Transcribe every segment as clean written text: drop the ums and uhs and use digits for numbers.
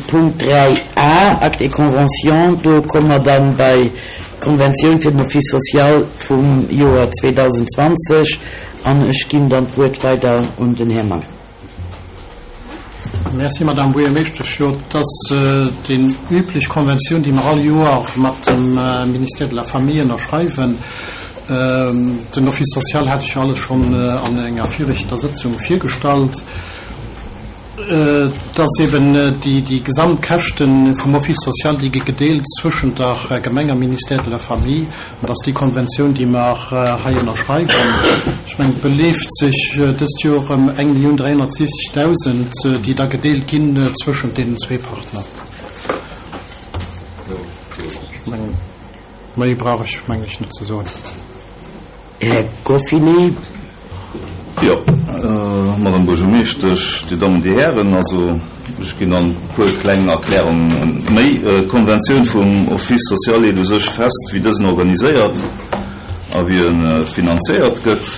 zum Punkt 3 a, Acte et conventions. Do komme mer dann bei d'Konventioun fir den Office social vum Joer 2020 an ech ginn dann d'Wuert weider un den Här Mangen. Merci, Madame Buergermeeschtesch. Jo, et ass déi üblech Konventioun, déi mer all Joer mat dem Ministère de la Famille ënnerschreiwen. Den Office social hat ech jo alles schonn an enger viregter Sëtzung virgestallt. Et ass eben déi Gesamtkäschte vum Office social, déi gi gedeelt zwëschent der Gemeng am Ministère de la Famille. An et ass déi Konventioun, déi mer hei ënnerschreiwen. Ech mengen, et beleeft sech dëst Joer ëm 1.360.000, déi da gedeelt ginn zwëschent deenen zwee Partner. Ech mengen, méi brauch ech, mengen ech, net ze soen. Här Goffinet. Jo, Madame Buergermeeschtesch, Dir Dammen, Dir Hären, also ech ginn dann e puer kleng Erklärungen méi. D'Konventioun vum Office social leet u sech fest, wéi dësen organiséiert a wéi e finanzéiert gëtt.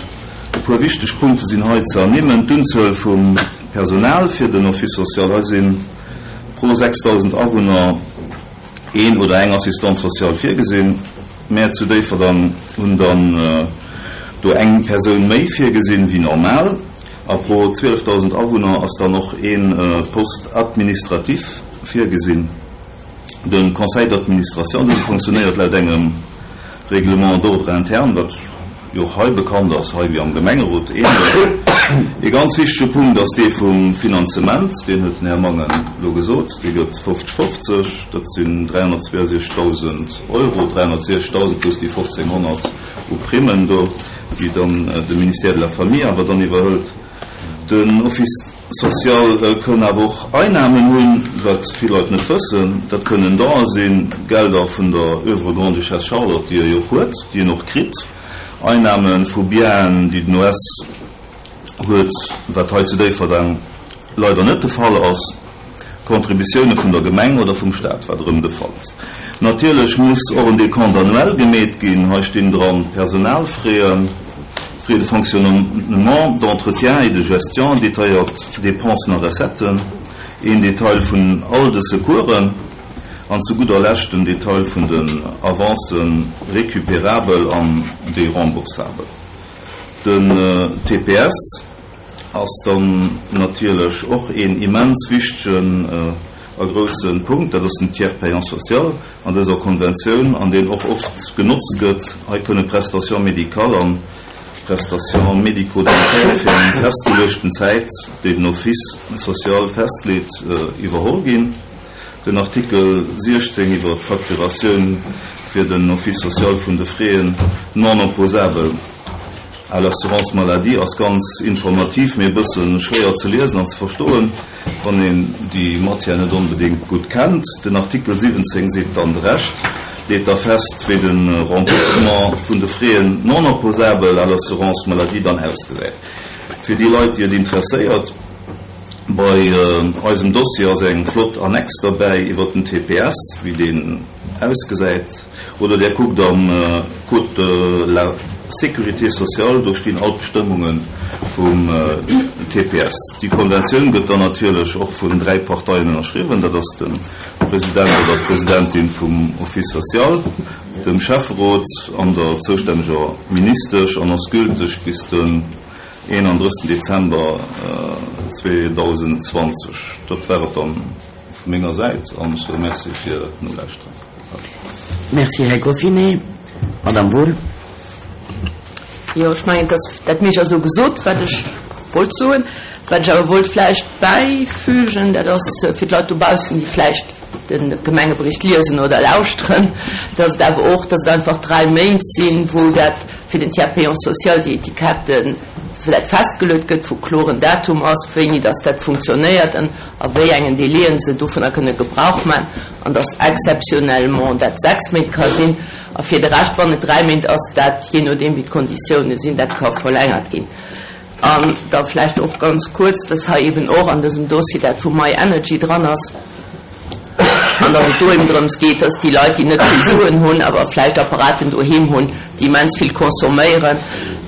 E puer wichteg Punkte sinn hei ze ernimmen, D'Unzuel vum Personal fir den Office social, hei si pro 6.000 Awunner een oder eng Assistante sociale virgesinn. Mär zu Déifferdang hunn dann do eng Persoun méi virgesinn wéi normal. A pro 12.000 Awunner ass dann och ee Poste administratif virgesinn. De Conseil d'administration, dëse fonctionnéiert laut engem Règlement d'ordre interne, wat jo och hei bekannt ass, hei wéi am Gemengerot ähnlech. Ee ganz wichtege Punkt ass dee vum Finanzement, deen huet den Här Mangen elo gesot, dee gëtt 50, 50, dat sinn 362.000 Euro, 360.000 plus déi 1.500 u Primmen do, déi dann de Ministère de la Famille awer dann iwwerhëlt. Den Office social kënn awer och Einnahmen hunn, wat vill Leit net wëssen. Dat kënnen Donen sinn, Gelder vun der Oeuvre Grande-Duchesse Charlotte, déi e jo och huet, déi en och kritt, Einnahme vu Bienen, déi den OS huet, wat hei zu Déifferdeng leider net de Fall ass, Contributioune vun der Gemeng oder vum Staat, wat erëm de Fall ass. Natierlech muss och en Décompte annuel gemeet ginn. Hei stinn dran d'Personalfraisen, Frais de fonctionnement, d'entretien et de gestion, detailléiert Dépensen a Recetten, een Detail vun all de Secoursen an zu gudder Lescht den Detail vun den Avancen récupérabel an déi remboursabel. Den TPS. Ass dann natierlech och een immens wichtegen a grousse Punkt, dat ass den Tiers payant social an dëser Konventioun, an deen och oft genotzt gëtt. Hei kënne Prestations médicales an Prestations médico-dentaires fir eng festgeluechten Zäit, déi den Office social festleet, iwwerholl ginn. Den Artikel 16 iwwer d'Facturatioun fir den Office social vun de Frais non opposables à l'assurance maladie ass ganz informativ, mee e bësse schwéier ze liesen an ze verstoen, wann een déi Matière net onbedéngt gutt kennt. Den Artikel 17 seet dann de Rescht, leet da fest, wéi de Remboursement vun de Frais non opposables à l'assurance maladie dann ausgesäit. Fir déi Leit, déi et interesséiert, Bei eisem Dossier ass eng flott Annex derbäi iwwert den TPS, wéi deen ausgesäit. Oder Där kuckt am Code de la sécurité sociale, do stinn all d'Bestëmmunge vum TPS. Déi Konventioun gëtt dann natierlech och vun dräi Parteien ënnerschriwwen, dat ass de President oder d'Presidentin vum Office social, dem Schäfferot an der zoustänneger Ministesch an ass gülteg bis den 31 Dezember 2020. Dat war et dann vu menger Säit an ech soe Merci fir d'Nolauschteren. Merci, Här Goffinet. Madame Wohl. Jo, ech mengen, dass dat meescht ass elo gesot, wat ech wollt soen. Wat ech awer wollt vläicht bäifügen, dat ass fir d'Leit dobaussen, déi vläicht de Gemengebericht liesen oder lauschteren, dass et awer och, dass et einfach dräi Méint sinn, wou dat fir den Tiers payant social, déi Etiketten, wou dat festgeluet gëtt, wou kloren Datum ass, wéini dass dat funktionéiert an a wéi engen Délaiën se dovunner kënne Gebrauch maachen, an dass exceptionnellement dat sechs Méint ka sinn a fir de Rescht, wann et dräi Méint ass, dat, jee nodeem wéi d'Konditiounen sinn, dat ka verlängert ginn. An da vläicht och ganz kuerz, dass hei eben och an dësem Dossier dat vu MyEnergy dran ass an dass et do eben drëms geet, dass déi Leit, déi net vill Suen hunn, awer vläicht Apparaten doheem hunn, déi immens vill consomméieren.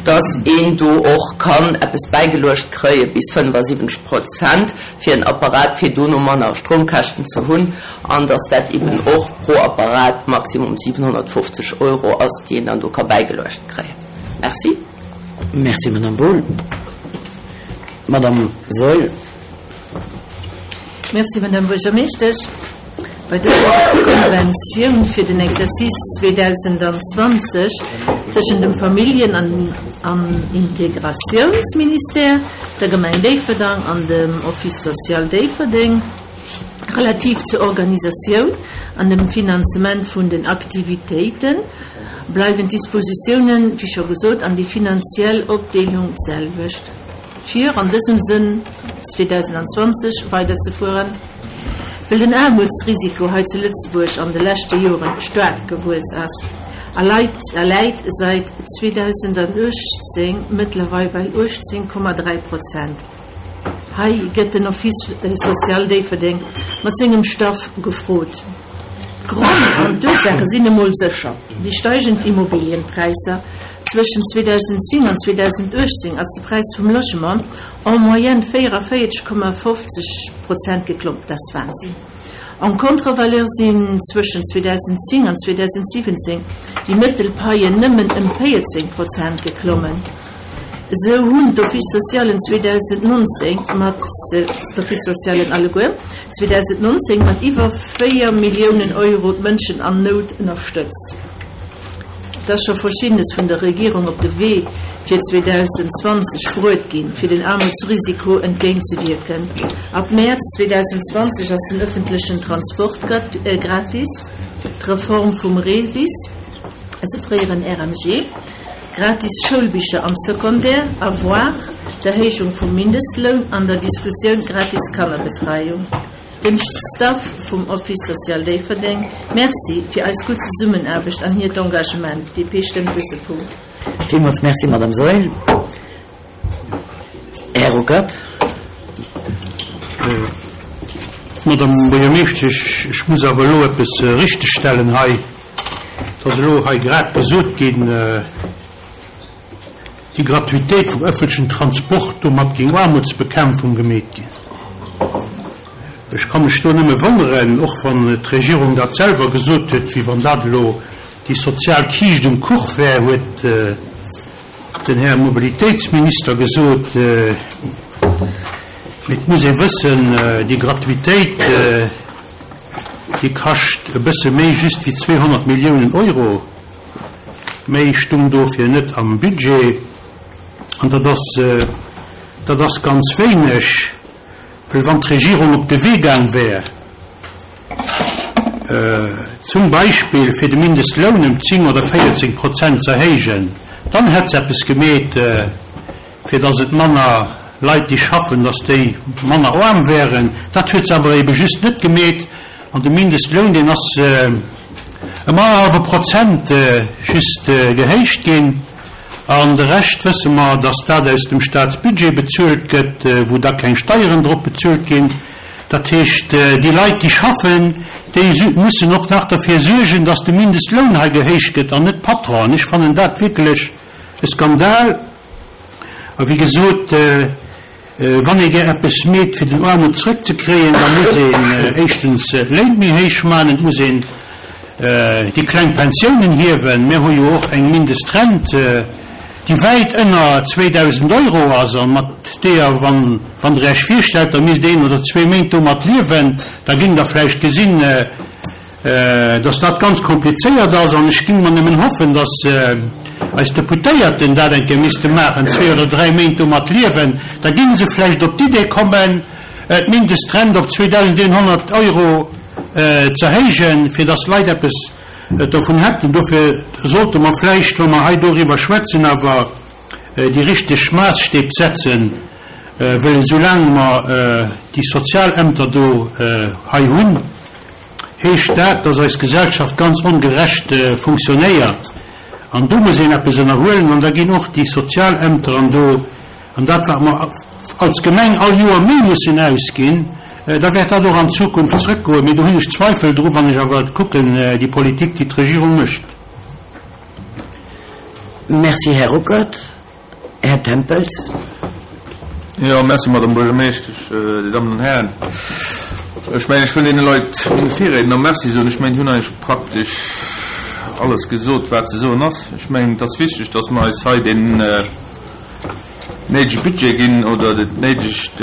dass een do och kann eppes bäigeluecht kréie bis 75 Prozent fir en Apparat, fir dono manner Stroumkäschten ze hunn, an dass dat eben och pro Apparat maximum 750 Euro ass, déi een dann do ka bäigeluecht kréien. Merci. Merci, Madame Wohl. Madame Saeul. Merci, Madame Buergermeeschtesch. Bei dëser Konventioun fir den Exercice 2020 tëschent dem Familljen an Integratiounsministère, der Gemeng Déifferdang an dem Office social Déifferdeng relativ zur Organisatioun an dem Finanzement vun den Aktivitéite bleiwen d'Dispositiounen, wéi scho gesot, an déi finanziell Opdeelung d'selwecht. Fir an dësem Sënn 2020 weiderzefueren, well den Aarmutsrisiko hei zu Lëtzebuerg an de leschte Joren staark gewuess ass a läit säit 2018 mëttlerweil bei 18,3 Prozent. Hei gëtt den Office social Déifferdeng mat sengem Staff gefrot. D'Grënn an d'Ursaache sinn emol sécher déi steigend Immobilienpräisser. Zwëschen 2010 an 2018 ass de Präis vum Logement en moyenne 44,50 Prozent geklomm. Dat ass Wahnsinn! En contre-valeur sinn zwëschen 2010 an 2017 déi mëttel Paien nëmmen ëm 14 Prozent geklommen. Esou hunn d'Office socialen 2019 mat d'Office socialen alleguer 2019 mat iwwer 4 Milliounen Euro d'Mënschen an Nout ënnerstëtzt. Et ass scho Verschiddenes vun der Regierung op de Wee fir 2020 bruet ginn, fir den Aarmutsrisiko entgéintzewierken. Ab Mäerz 2020 ass den ëffentlechen Transport gratis, d'Reform vum REVIS, also fréieren RMG, Gratis Schoulbicher am Secondaire, Avoir, d'Erhéijung vum Mindestloun an der Diskussioun gratis Kannerbetreiung. Dem Staff vum Office Social Déifferdeng Merci fir eis gutt Zesummenaarbecht an hiert Engagement. DP stëmmt dëse Punkt. Villmools Merci, Madame Saeul. Här Ruckert. Madame Buergermeeschtesch, ech muss awer elo eppes richtegstellen hei. Et ass elo hei grad gesot ginn, déi Gratuitéit vum ëffentlechen Transport, domat géing Aarmutsbekämpfung gemeet ginn. Ech ka mech do nëmme wonneren, och wann d'Regierung dat selwer gesot huet, wéi wann dat elo déi sozial Kiischt um Kuch wär, huet den Här Mobilitéitsminister gesot. Mee et muss ee wëssen, déi Gratuitéit, Déi kascht e bësse méi just wéi 200 Milliounen Euro. Méi stung dofir net am Budget. An dat ass, dat ass ganz wéineg, well wann d'Regierung op de Wee gaang wär, zum Beispill fir de Mindestloun ëm 10 oder 14 Prozent z'erhéijen, dann hätt se eppes gemeet. fir dass et manner Leit déi schaffen, dass déi manner aarm wären. Dat huet se awer ebe just net gemeet. An de Mindestloun, deen ass ëm annerhallwe Prozent just gehéicht ginn. An de Rescht wësse mer, dass dat aus dem Staatsbudget bezuelt gëtt, wou da keng Steieren drop bezuelt ginn. Dat heescht, déi Leit, déi schaffen, déi mussen och nach derfir suergen, dass de Mindestloun hei gehéicht gëtt an net d'Patronen. Ech fannen dat wierklech e Skandal. A wéi gesot, wann ee gär eppes meet, fir den Aarmut zrëckzekréien, da muss een éischtens d'Léin méi héich maachen, et muss een déi kleng Pensiounen hiewen. Mir hu jo och eng Mindestrent, déi wäit ënner 2.000 Euro ass a mat deeër, wann Der Iech virstellt, Der misst een oder zwee Méint domat liewen, da géingt Der vläicht gesinn, dass dat ganz komplizéiert ass an ech ging mer nëmmen hoffen, dass eis Deputéierten dat eng Kéier misste maachen, zwee oder dräi Méint domat liewen, da géinge se vläicht op d'Idee kommen, d'Mindestrent op 2.100 Euro z'erhéijen, fir dass d'Leit eppes dovun hätten. Dofir sollte mer vläicht, wa mer hei doriwwer schwätzen, awer déi richteg Maasstäb setzen, well esoulaang mer déi Sozialämter do hei hunn, heescht dat, dass eis Gesellschaft ganz ongerecht funktionéiert an do muss een eppes ënnerhuelen an da ginn och déi Sozialämter an do an dat wat mer als Gemeng all Joer méi mussen ausginn, da wäert dat och an Zukunft zrëckgoen. Mee do hunn ech Zweifel dru wann ech awer kucken déi Politik déi d'Regierung mécht. Merci, Här Ruckert. Här Tempels. Jo, merci, Madame Buergermeeschtesch, Dir Dammen an Hären. Ech mengen, ech wëll deene Leit, menge Virriedner, Merci soen. Ech mengen, déi hunn eigentlech praktesch alles gesot, wat ze soen ass. Ech mengen, et ass wichteg, dass mer eis hei deen néidege Budget ginn oder dat néidegt,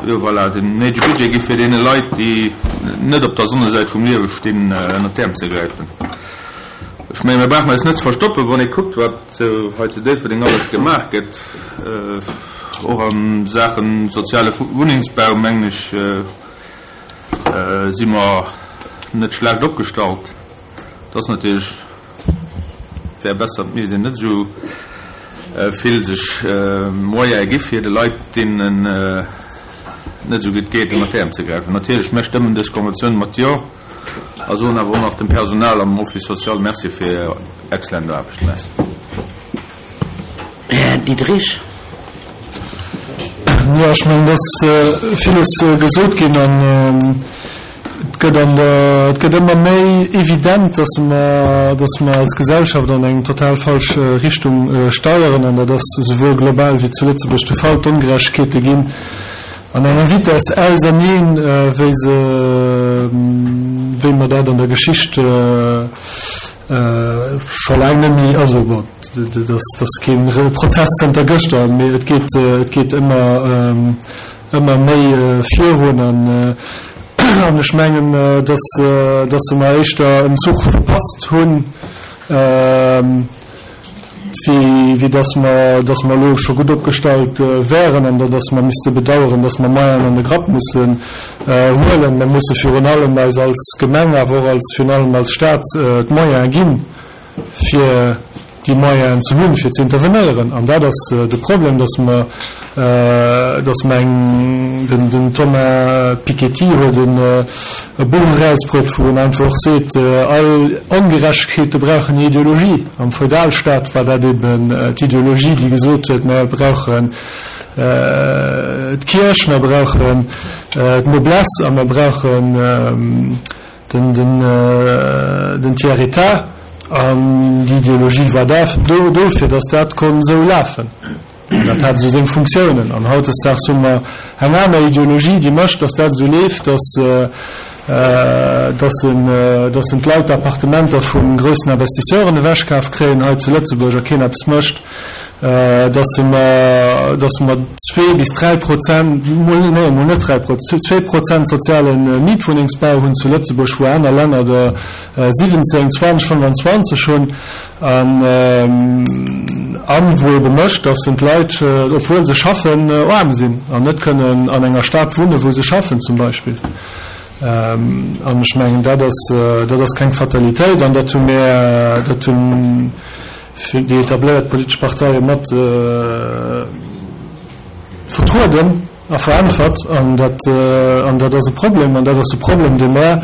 jo, voilà, den néidege Budget gi fir deene Leit, déi net op der Sonnesäit vum Liewe stinn, ënnert d'Äerm ze gräifen. Ech mengen, mir brauchen eis net ze verstoppen, wann ee kuckt, wat hei zu Déifferdeng alles gemaach gëtt, och a Saache soziale Wunnengsbau, mengen ech, si mer net schlecht opgestallt. Et ass natierlech, et wär besser, et misst een net esou vill sech Moyene gi fir de Leit, deenen et net esou gutt geet, ënner d'Äerm ze gräifen. Natierlech, mir stëmmen dës Konventioun mat Jo. A soen awer och nach dem Personal am Office social Merci fir hir excellent Aarbecht. Merci. Här Diderich. Jo, ech mengen, et ass villes gesot ginn an et gëtt an der, et gëtt ëmmer méi evident, dass mer, dass mer als Gesellschaft an eng total falsch Richtung steieren an dat ass esouwuel global wéi zu Lëtzebuerg de Fall. D'Ongerechtegkeete ginn An enger Vitesse auserneen, wéi se, wéi mer dat an der Geschicht scho laang net méi, also bon, dat ass kee Prozess zënter gëschter, mee et geet, et geet ëmmer, ëmmer méi virun. An ech mengen, dass, dass mer éischter en Zuch verpasst hunn, wéi dass mer, dass mer elo scho gutt opgestallt wäeren an dass mer misste bedauern, dass mer Moyenen an de Grapp mussen huelen. Mer musse virun allem eis als Gemeng, awer och als, virun allem als Stat d'Moyene ginn, fir déi Moyenen ze hunn, fir ze intervenéieren. An dat ass de Problem, dass mer, dass mer eng, den Thomas Piketty huet e Buch erausbruet, wou en einfach och seet, all Ongerechtegkeete brauchen eng Ideologie. Am Feudalstaat war dat eben d'Ideologie, déi gesot huet, mer brauchen d'Kierch, mer brauchen d'Noblesse a mer brauchen den Tiers-État. An déi Ideologie war do, fir datt dat konnt esou lafen. Dat hat esou seng Funktiounen. An hautdesdaags hu mer eng aner Ideologie, déi mécht, datt dat esou leeft, datt, datt en, datt en d'Leit d'Appartementer vu groussen Investisseuren ewechkaf kréien hei zu Lëtzebuerg a keen eppes mécht, datt mer, datt mer zwee bis 3%, mol, nee, mol net 3%, 2% soziale Mietwunnengsbau hunn zu Lëtzebuerg, wou aner Länner der 17, 20, 25 hunn. An wou ebe mécht, dass en d'Leit, obwuel se schaffen, aarm sinn an net kënnen an enger Stad wunnen, wou se schaffen zum Beispill. An ech mengen, dat ass, dat ass keng Fatalitéit an dat hu mir, dat hunn déi etabléiert politesch Parteie mat vertrueden a veräntwert. An dat, an dat ass e Problem an dat ass e Problem, dee mer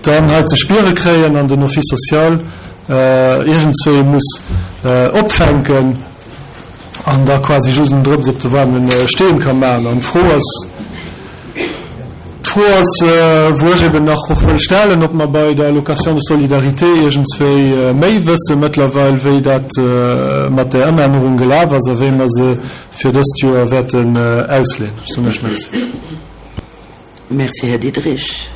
dann hei ze spiere kréien an den Office social iergendswéi muss opfänken an da quasi just en Drëps op de waarme Steen ka maachen. An d'Fro ass, d'Fro ass, wou ech eben nach och wëll stellen, ob mer bei der Allocation de solidarité iergendswéi méi wësse mëttlerweil, wéi dat mat där Ëmännerung gelaf ass a wéi mer se fir dëst Joer wäerten ausleeën. Ech soen Iech Merci. Merci, Här Diderich.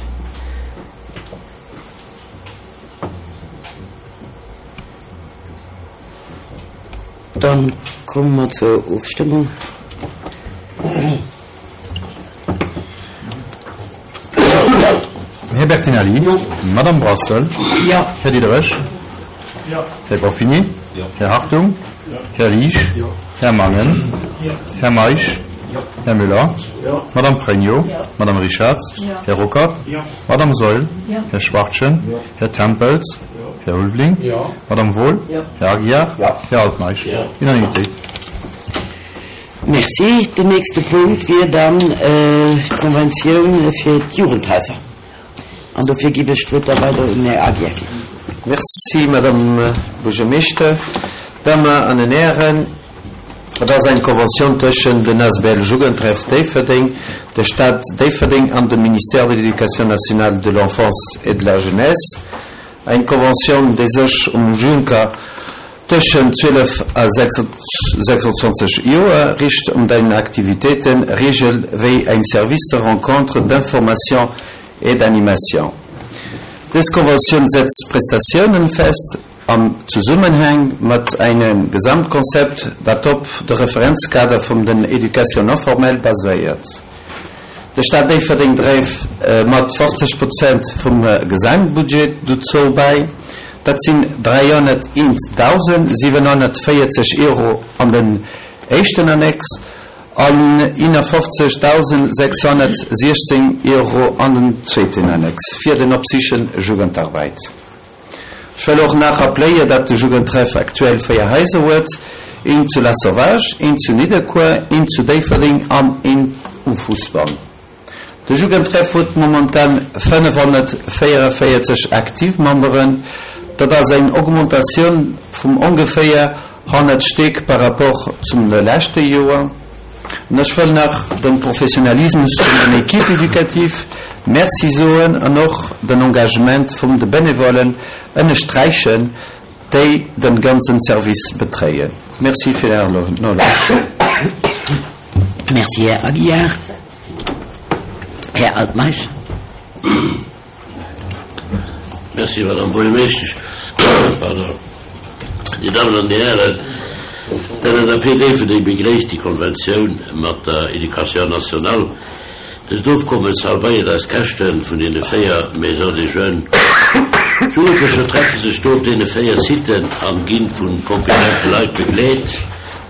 Dann komme mer zur Ofstëmmung. Här Bertinelli? Jo. Madame Brassel? Jo. Här Diderich? Jo. Här Goffini? Jo. Här Hartung? Jo. Här Liesch? Jo. Här Mangen? Jo. Här Meisch? Jo. Här Müller? Jo. Madame Pregno? Jo. Madame Richarz? Jo. Här Ruckert? Jo. Madame Saeul? Jo. Här Schwachtgen? Jo. Här Tempels? Jo. Här Ulveling? Jo. Madame Wohl? Jo. Här Aguiar? Jo. Här Altmeisch? Jo. Unanimité. Merci. Den nächste Punkt wier dann d'Konventioun fir d'Jugendhaiser. An dofir giff ech d'Wuert da weider un den Här Aguiar ginn. Merci, Madame Buergermeeschter. Dammen an den Hären, et ass eng Konventioun tëschent den asbl Jugendtreff Déifferdeng, der Stad Déifferdeng an dem Ministère de l'Éducation nationale, de l'Enfance et de la Jeunesse. Eng Konventioun, déi sech um Juncker. Tëschent 12 a 26 Joer richt um deinen Aktivitéiten regel wéi eng Service de rencontre, d'information et d'animation. Dës Konventioun setzt Prestatiounen fest am Zesummenhang mat engem Gesamtkonzept, dat op de Referenzkader vum den Éducation non formelle baséiert. De Staat Déifferdeng dréif mat 50 Prozent vum Gesamtbudget dozou bäi. Dat sinn 301.740 Euro an den éischten Annex an 51.616 Euro an den zweeten Annex fir den Opsichen Jugendarbeit. Ech wëll och nach rappléier, datt de Jugendtreff aktuell 4 Haiser huet, eent zu Lasauvage, eent zu Nidderkuer, eent zu Déifferdeng an eent um Fousbann. De Jugendtreff huet momentan 544 aktiv Memberen, dat ass eng Augmentatioun vum ongeféier 100 Stéck par rapport zum leschte Joer. An ech wëll nach dem Professionalismus vun den Équipes éducatives Merci soen an och den Engagement vum de Bénévolen ënnersträichen, déi den ganzen Service betréien. Merci fir Är Nolauscherung. Merci, Här Aguiar. Här Altmeisch. Merci, Madame Buergermeeschtesch. Pardon. Dir Dammen an Dir Hären, d'LSAP Déifferdeng begréisst déi Konventioun mat der Éducation nationale. Dëst Ofkommes halbéiert eis Käschte vun deene 4 Maisons des Jeunes. D'Jugendlecher treffe sech do op deene 4 Siten an gi vu kompetente Leit begleet,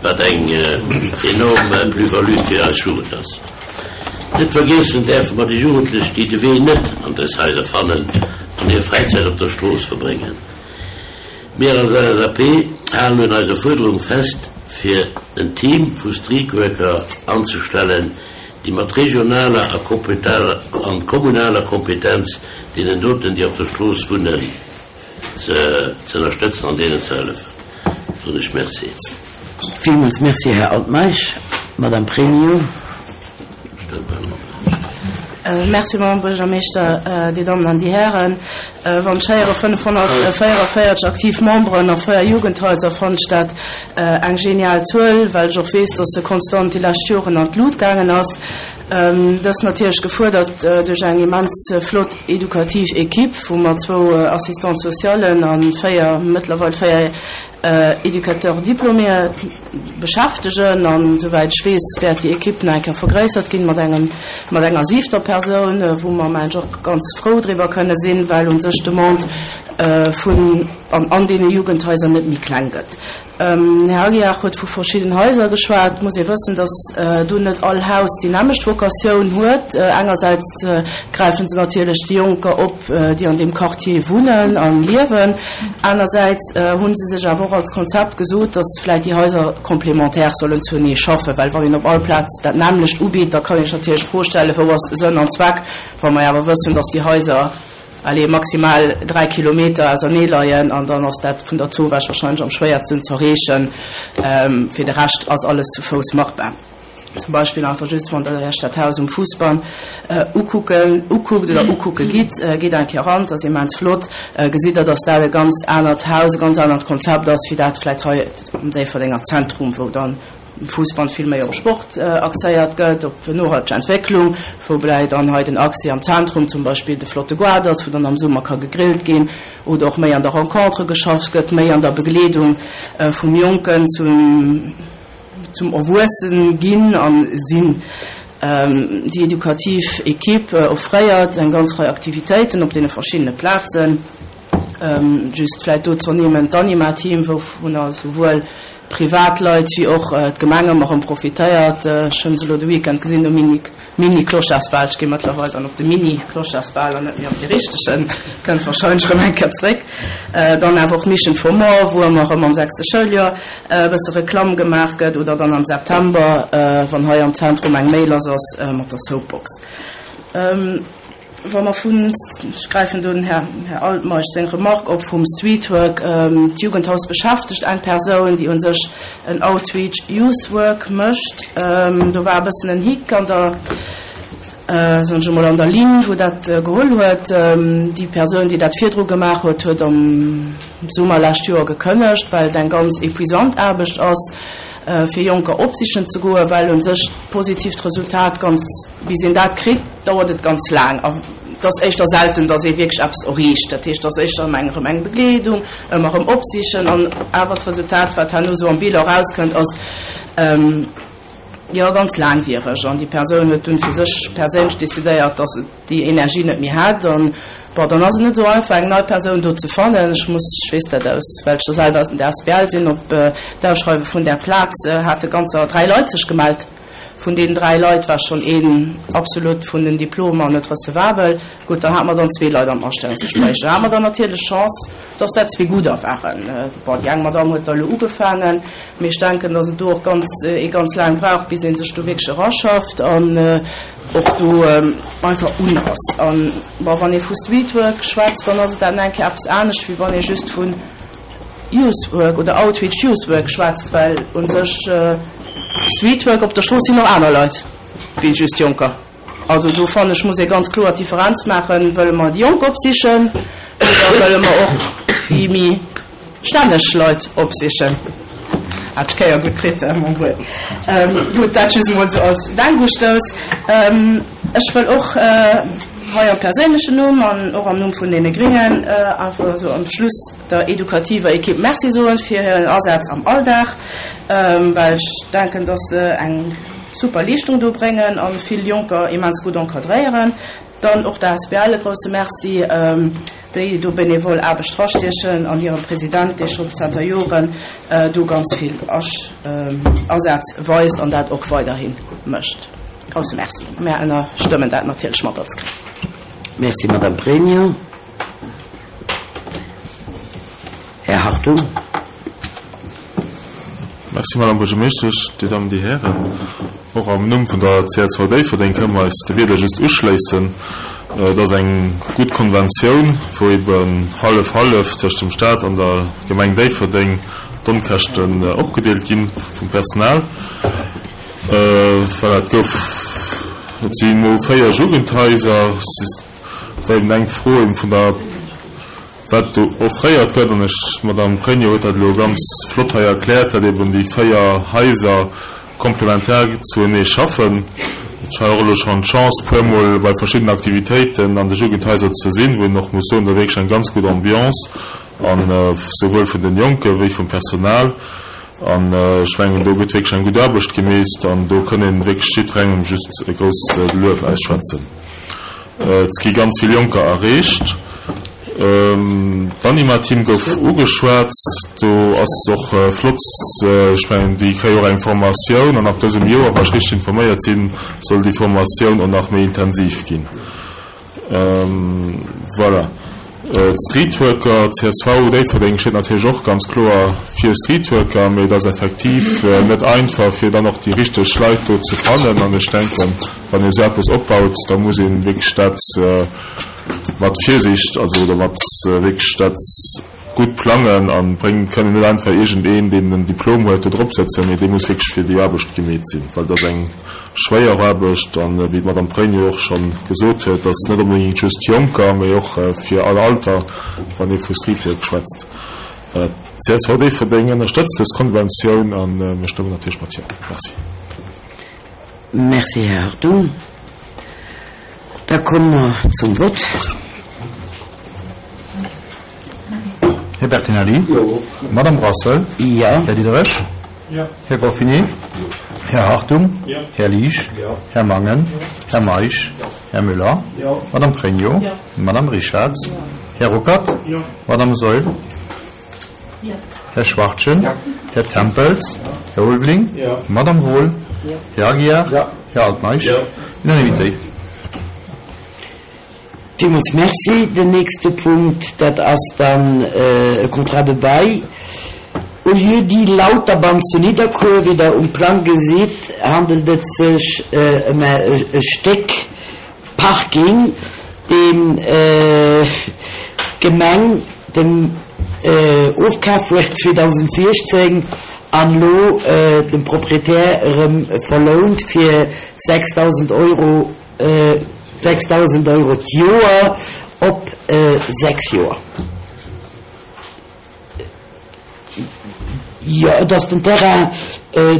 wat eng enorm Plus-value fir eis Jugend ass. Net vergiessen däerfe mer déi Jugendlech, déi de Wee net an dës Haiser fannen an hir Fräizäit op der Strooss verbréngen. Mir als LSAP halen un eiser Fuerderung fest, fir en Team vu Streetworker anzestellen, déi mat regionaler a kommunaler Kompetenz deenen doten, déi op der Strooss wunnen, ze ënnerstëtzen an deenen ze hëllefen. Soen ech Merci. Villmools Merci, Här Altmeisch. Madame Pregno. Merci, Madame Buergermeeschter, Dir Dammen an Dir Hären. Wann ech héiere 544 aktiv Memberen a 4 Jugendhaiser, fannen ech dat eng genial Zuel, well ech och weess, dass se konstant déi lescht Joren an d'Lut gaangen ass. Dës natierlech gefuerdert duerch eng immens flott edukativ Equipe, wou mer zwou Assistants socialen a 4, mëttlerweil 4 Éducateurs diplômés beschäftegen. An esouwäit ech weess, wäert déi Equipe nach eng Kéier vergréissert ginn mat engem, mat enger siwter Persoun, wou mer, mengen ech, och ganz frou driwwer kënne sinn, well u sech d'Demande vun an an deene Jugendhaiser net méi kleng gëtt. Den Här Aguiar huet vu verschidden Haiser geschwat. Et muss ee wëssen, datt do net all Haus déi nämmlecht Vocatioun huet. Engersäits gräife se natierlech déi Jonker op, déi an deem Quartier wunnen a liewen. Anersäits hu se sech awer och als Konzept gesot, datt vläicht déi Haiser complémentaire sollen zuenee schaffen. Well wann een op all Plaz dat nämmlecht ubitt, da kann ee sech natierlech d'Fro stellen, Wou ass Sënn an Zweck, wa mer awer wëssen, datt déi Haiser, allez, maximal 3 Kilometer ausernee leien an dann ass dat vun der Zowaasch wahrscheinlech am schwéiersten z'erreechen. Fir de Rescht ass alles zu Fouss machbar. Zum Beispill einfach just, wann Der Iech dat Haus um Fousbann ukucken, ukuckt oder ukucke gitt, gitt eng Kéier eran, et ass immens flott, gesitt Der, dass dat e ganz anert Haus, e ganz anert Konzept ass, wéi dat vläicht hei am Déifferdenger Zentrum, wou dann um Fousbann vill méi op Sport axéiert gëtt, op nohalteg Entwécklung, woubäi dann hei den Accès am Zentrum zum Beispill de flotte Goart ass, wou dann am Summer ka gegrillt ginn oder och méi an der Rencontre geschafft gëtt, méi an der Begleedung vum Jonken zum zum Erwuessen ginn a sinn. Déi edukativ Equipe offréiert eng ganz Rei Aktivitéiten op deene verschiddene Plazen. Just vläit do z'ernimmen d'Anima-Team, wouvunner souwuel Privatleit wéi och d'Gemeng ëmmer erëm profitéiert. Ech hunn se elo de Weekend gesinn um Mini, Mini-Clochardsbal. Ech gi mëttlerweil dann op de Mini-Clochardsbal an net méi op dee richtegen. Kënnt warscheinlech erëm eng Kéier zréck. Dann awer och d'Mission for More, wou ëmmer erëm am sechste Schouljoer e bësse Reklamm gemaach gëtt oder dann am September, wann hei am Zentrum eng Méi lass ass mat der Soapbox. Wa mer vun, ech gräifen do den Här Altmeisch seng Remarque op, vum Streetwork, d'Jugendhaus beschäftegt eng Persoun, déi u sech en Outreach Youth Work mécht. Do war e bëssen en Hick an der. Soen ech emol, an der Linn, wou dat geholl huet. Déi Persoun, déi dat virdru gemaach huet, huet am Summer lescht Joer gekënnegt, well et eng ganz épuisant Aarbecht ass, fir Jonker opsichen ze goen, well u sech d'positiivt Resultat ganz, bis een dat kritt, dauert et ganz laang. A et ass éischter selten, datt ee wierklech eppes erreecht. Dat heescht, et ass éischter ëmmer eng erëm eng Begleedung, ëmmer erëm opsichen an awer d'Resultat, wat herno esou am Bilan erauskënnt, ass, Jo, ganz laangwiereg. An déi Persoun huet dunn fir sech perséinlech decidéiert, dass se déi Energie net méi hätt. An bon, dann ass et net esou einfach, eng nei Persoun do ze fannen. Ech muss, ech weess dat aus, well ech jo selwer an der asbl sinn, op d'Ausschreiwe vun där Plaz hate ganzer 3 Leit sech gemellt. Vun deenen 3 Leit war schonn een absolut vun den Diplomer net recevabel. Gutt, dann hate mer dann zwee Leit am Astellungsgespréich. Do hate mer dann natierlech Chance, dass dat zwee gudder waren. Bon, déi eng Madamm huet da elo ugefaangen, mee ech denken, dass et do och ganz, ee ganz laang brauch, bis ee sech do wierklech eraschafft an och do einfach un ass. An, bon, wann ee vu Streetwork schwätzt, dann ass et dat nach eng Kéier eppes anescht, wéi wann ee just vun Youth Work oder Outreach Youth Work schwätzt, well u sech Streetwork, op der Strooss sinn och aner Leit wéi just Jonker. Also do fannen ech, muss ee ganz kloer d'Differenz maachen, Wëlle mer déi Jonk opsichen oder wëlle mer och déi méi stänneg Leit opsichen? Hat ech d'Kéier gutt kritt, mon Wuel. Gutt, dat just emol esou als Denkustouss. Ech wëll och hei am perséinlechen Numm an och am Numm vun deene Gringen einfach esou am Schluss der edukativer Ekipp Merci soen fir hiren Asaz am Alldag, well ech denken, dass se eng super Leeschtung do bréngen a vill Jonker immens gutt encadréieren. Dann och der asbl e grousse Merci, déi do benevol Aarbecht drastiechen an hirem President, dee schonn zanter Joren do ganz vill Asaz weist an dat och weiderhi mécht. Grousse Merci. Mär ënnerstëmmen dat natierlech mat als Gréng. Merci, Madame Pregno. Här Hartung. Merci, Madame Buergermeeschtesch, Dir Dammen, Dir Hären. Och am Numm vun der csv Déifferdeng kënne mer eis de Wierder just uschléissen. Et ass eng gutt Konventioun, wou eben hallef-hallef tëscht dem Stat an der Gemeng Déifferdeng d'Onkäschten opgedeelt gi vum Personal. Voilà, et gouf, et si elo 4 Jugendhaiser. Et war eben eng Fro eben vun der. Wat do offréiert gëtt, an ech, d'Madame Pregno huet dat elo ganz flott hei erkläert, datt eben déi 4 Haiser komplementär zuenee schaffen. Ech hat och elo schonn d'Chance, puermol bei verschiddenen Aktivitéiten an de Jugendhaiser ze sinn, wou een och muss soen, do wierklech eng ganz gutt Ambiance an souwuel vun den Jonke wéi vum Personal. An ech mengen, do gëtt wierklech eng gutt Aarbecht gemeest an do kënn ee wierklech jiddwerengem just e grousst Luef ausschwätzen. Et gi ganz vill Jonker erreecht. D'Anima-Team gouf ugeschwat. Do ass et och flott, ech mengen, déi kréie och eng Formatioun an ab dësem Joer, wa ech richteg informéiert sinn, soll déi Formatioun och nach méi intensiv ginn. Voilà. D'Streetworker, csv Déifferdeng steet natierlech och ganz kloer fir Streetworker, mee et ass effektiv net einfach, fir dann och déi richteg Leit do ze fannen. An ech denken, wann ee esou eppes opbaut, da muss ee wierklech dat mat Virsicht, also oder mat wierklech dat gutt plangen a bréngen. Et kann een net einfach iergendeen, deen en Diplom huet, do drop sëtzen, mee dee muss wierklech fir déi Aarbecht gemeet sinn, well et ass eng schwéier Aarbecht an, wéi d'Madame Pregno och scho gesot huet, ass net onbedéngt just Jonker, mee och fir all Alter, wann ee vu Streetwork schwätzt. Csv Déifferdeng ënnerstëtzt dës Konventioun a mir stëmmen natierlech mat Jo. Merci. Merci, Här Hartung. Da komme mer zum Vott. Här Bertinelli? Jo. Madame Brassel? Jo. Här Diderich? Jo. Här Goffinet? Jo. Här Hartung? Jo. Här Liesch? Jo. Här Mangen? Jo. Här Meisch? Jo. Här Müller? Jo. Madame Pregno? Jo. Madame Richarz? Jo. Här Ruckert? Jo. Madame Saeul? Jo. Här Schwachtgen? Jo. Här Tempels? Jo. Här Ulveling? Jo. Madame Wohl? Jo. Här Aguiar? Jo. Här Altmeisch? Jo. Unanimitéit. Villmools Merci. Den nächste Punkt, dat ass dann e Contrat de bail au lieu-dit Lauterbann zu Nidderkuer. Wéi Der um Plang gesitt, handelt et sech ëm e Stéck Parking, deen d'Gemeng dem ofkaf huet 2016 an elo dem Proprietär erëm verlount fir 6.000 Euro. 6.000 Euro d'Joer op 6 Joer. Jo, et ass den Terrain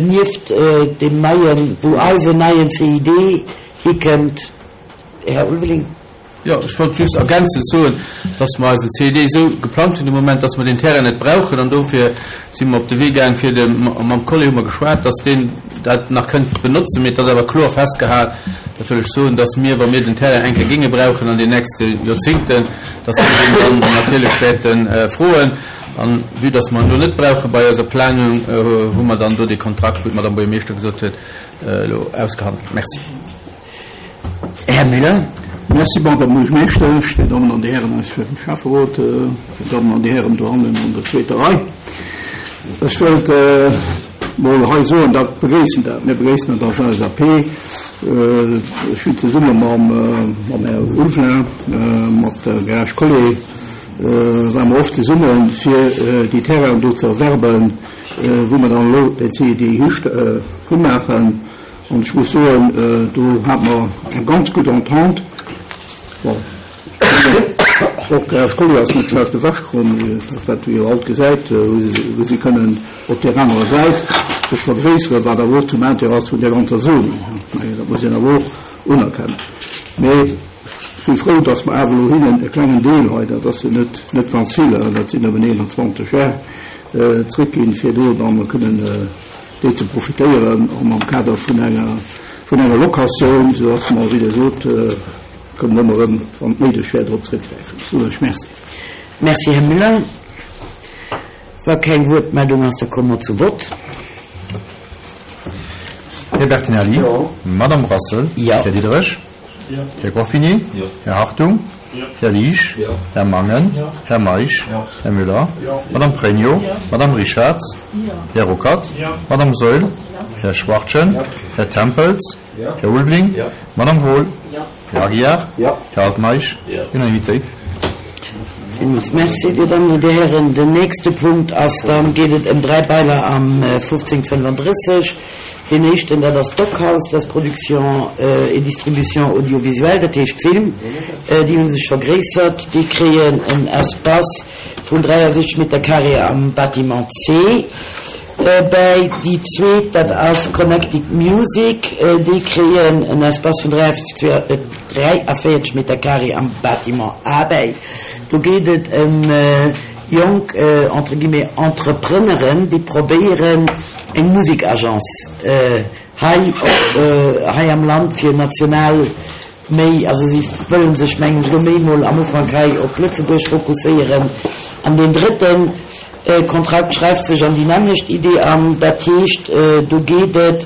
nieft deem neien, wou eisen neien CID hikënnt, Här Ulveling. Jo, ech wollt just ergänzend soen, dass mer eisen CED esou geplangt hunn de Moment, dass mer deen Terrain net brauchen. An dofir si mer op de Wee gaang, fir de, mam Collé hu mer geschwat, dass deen dat nach kënnt benotzen. Mee et ass awer kloer festgehal, dat wëll ech soen, dass mir, wa mir den Terrain eng Kéier géinge brauchen an den nächste Joerzingten, dass mir deen dann natierlech wäerte froen. An vue dass mer en elo net brauche bei eiser Planung, hu mer dann do dee Kontrakt, wéi d'Madame Buergermeeschter gesot huet, elo ausgehandelt. Merci. Här Müller. Merci, Madame Buergermeeschtesch, Dir Dammen an Dir Hären aus dem Schäfferot, Dir Dammen an Dir Hären dohannen an der zweeter Rei. Ech wëllt mol hei soen, dat begréissen dat, mir begréissen dat als LSAP. Ech hunn zesumme mam Här Ulveling, mat der Garage Collé ware mer oft zesummen, fir déi Terrainen do ze erwerben, wou mer dann elo den CID himaachen. An ech muss soen, do hate mer eng ganz gutt Entente. Bon, och d'Garage Collier ass net schlecht ewechkomm, dat wat ee jo alt gesäit, wou si kënnen op där anerer Säit sech vergréisseren, wat awer och zum Intérêt ass vun där ganzer Zone. Dat muss een awer och unerkennen. Mee ech si frou, datt mer awer elo hinnen e klengen Deel hei, dat ass jo net, net ganz vill, dat sinn nëmmen 21 Ar, zrëckginn, fir do dann kënnen déi ze profitéieren an am Kader vun enger, vun enger Locatioun, esou dass mer, wéi Der sot, kënnen ëmmer erëm, wann et néideg wär, drop zrëckgräifen. Ech soen lech Merci. Merci, Här Müller. Wa keng Wuertmeldung ass, da komme mer zum Vott. Här Bertinelli? Jo. Madame Brassel? Jo. Här Diderich? Här Goffinet? Här Hartung? Här Liesch? Här Mangen? Här Meisch? Här Müller? Madame Pregno? Madame Richarz? Här Ruckert? Madame Saeul? Här Schwachtgen? Här Tempels? Här Ulveling? Madame Wohl? Här Aguiar? Här Altmeisch? Unanimitéit. Villmools Merci, Dir Dammen an Dir Hären. Den nächste Punkt ass, dann geet et ëm 3 Bailer am 1535. Deen éischten, dat ass d'Dockhaus, dat ass Production et Distribution audiovisuelle, dat heescht Film. Déi hu sech vergréissert. Déi kréien en Espace vun 63 Meter carré am Bâtiment C bäi. Déi zweet, dat ass Connected Music, déi kréien en Espace vun 43 Meter carré am Bâtiment A bäi. Do geet et ëm jonk, entre guillemets, Entrepreneuren, déi probéieren, eng Musikagence hei op hei am Land fir national méi, also si wëllen sech mengen ech elo méi mol am Ufank hei op Lëtzebuerg fokusséieren. An deen drëtten Kontrakt schreift sech an déi nämmlecht Idee an, dat heescht do geet et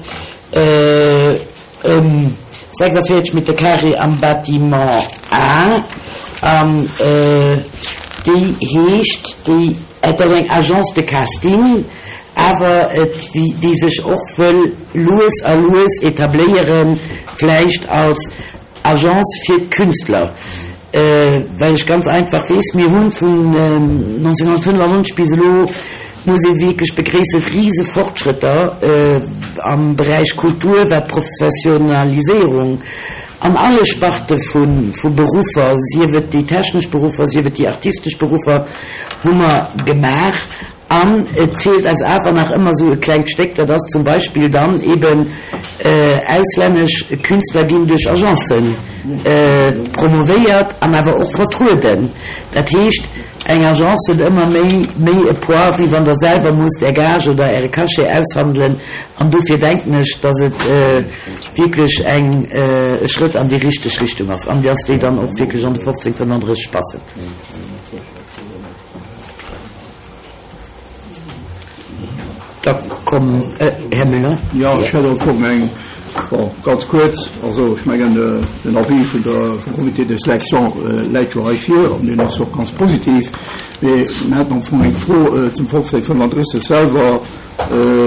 ëm 46 Meter carré am Bâtiment A an déi heescht, déi, et ass eng Agence de casting, awer et, déi sech och wëll lues a lues etabléieren, vläicht als Agence fir Künstler, well ech ganz einfach weess, mir hu vun 1995 bis elo, muss ee wierklech begréissen, rise Fortschrëtter am Beräich Kultur, wat d'Professionaliséierung an alle Sparte vu Beruffer, sief et déi technesch Beruffer, sief et déi artistesch Beruffer, hu mer gemaach. An et feelt eis awer nach ëmmer esou e klengt Stéck, dat ass zum Beispill dann eben, auslännesch Künstler ginn duerch Agencen promovéiert an awer och vertrueden. Dat heescht, eng Agence huet ëmmer méi méi e Poids, wéi wann Der selwer musst Är Gage oder Äre Cachet aushandelen. An dofir denken ech, dass et wierklech eng e Schrëtt an déi richteg Richtung ass an dass déi dann och wierklech an de 1535 passen. Da komm, Här Müller. Jo, ech hätt am Fong eng, bon, ganz kuerz. Also ech mengen, den Avis vun der, vum Comité de sélection läit jo hei vir an deen ass och ganz positiv. Mee mir haten am Fong eng Fro zum 1535 selwer,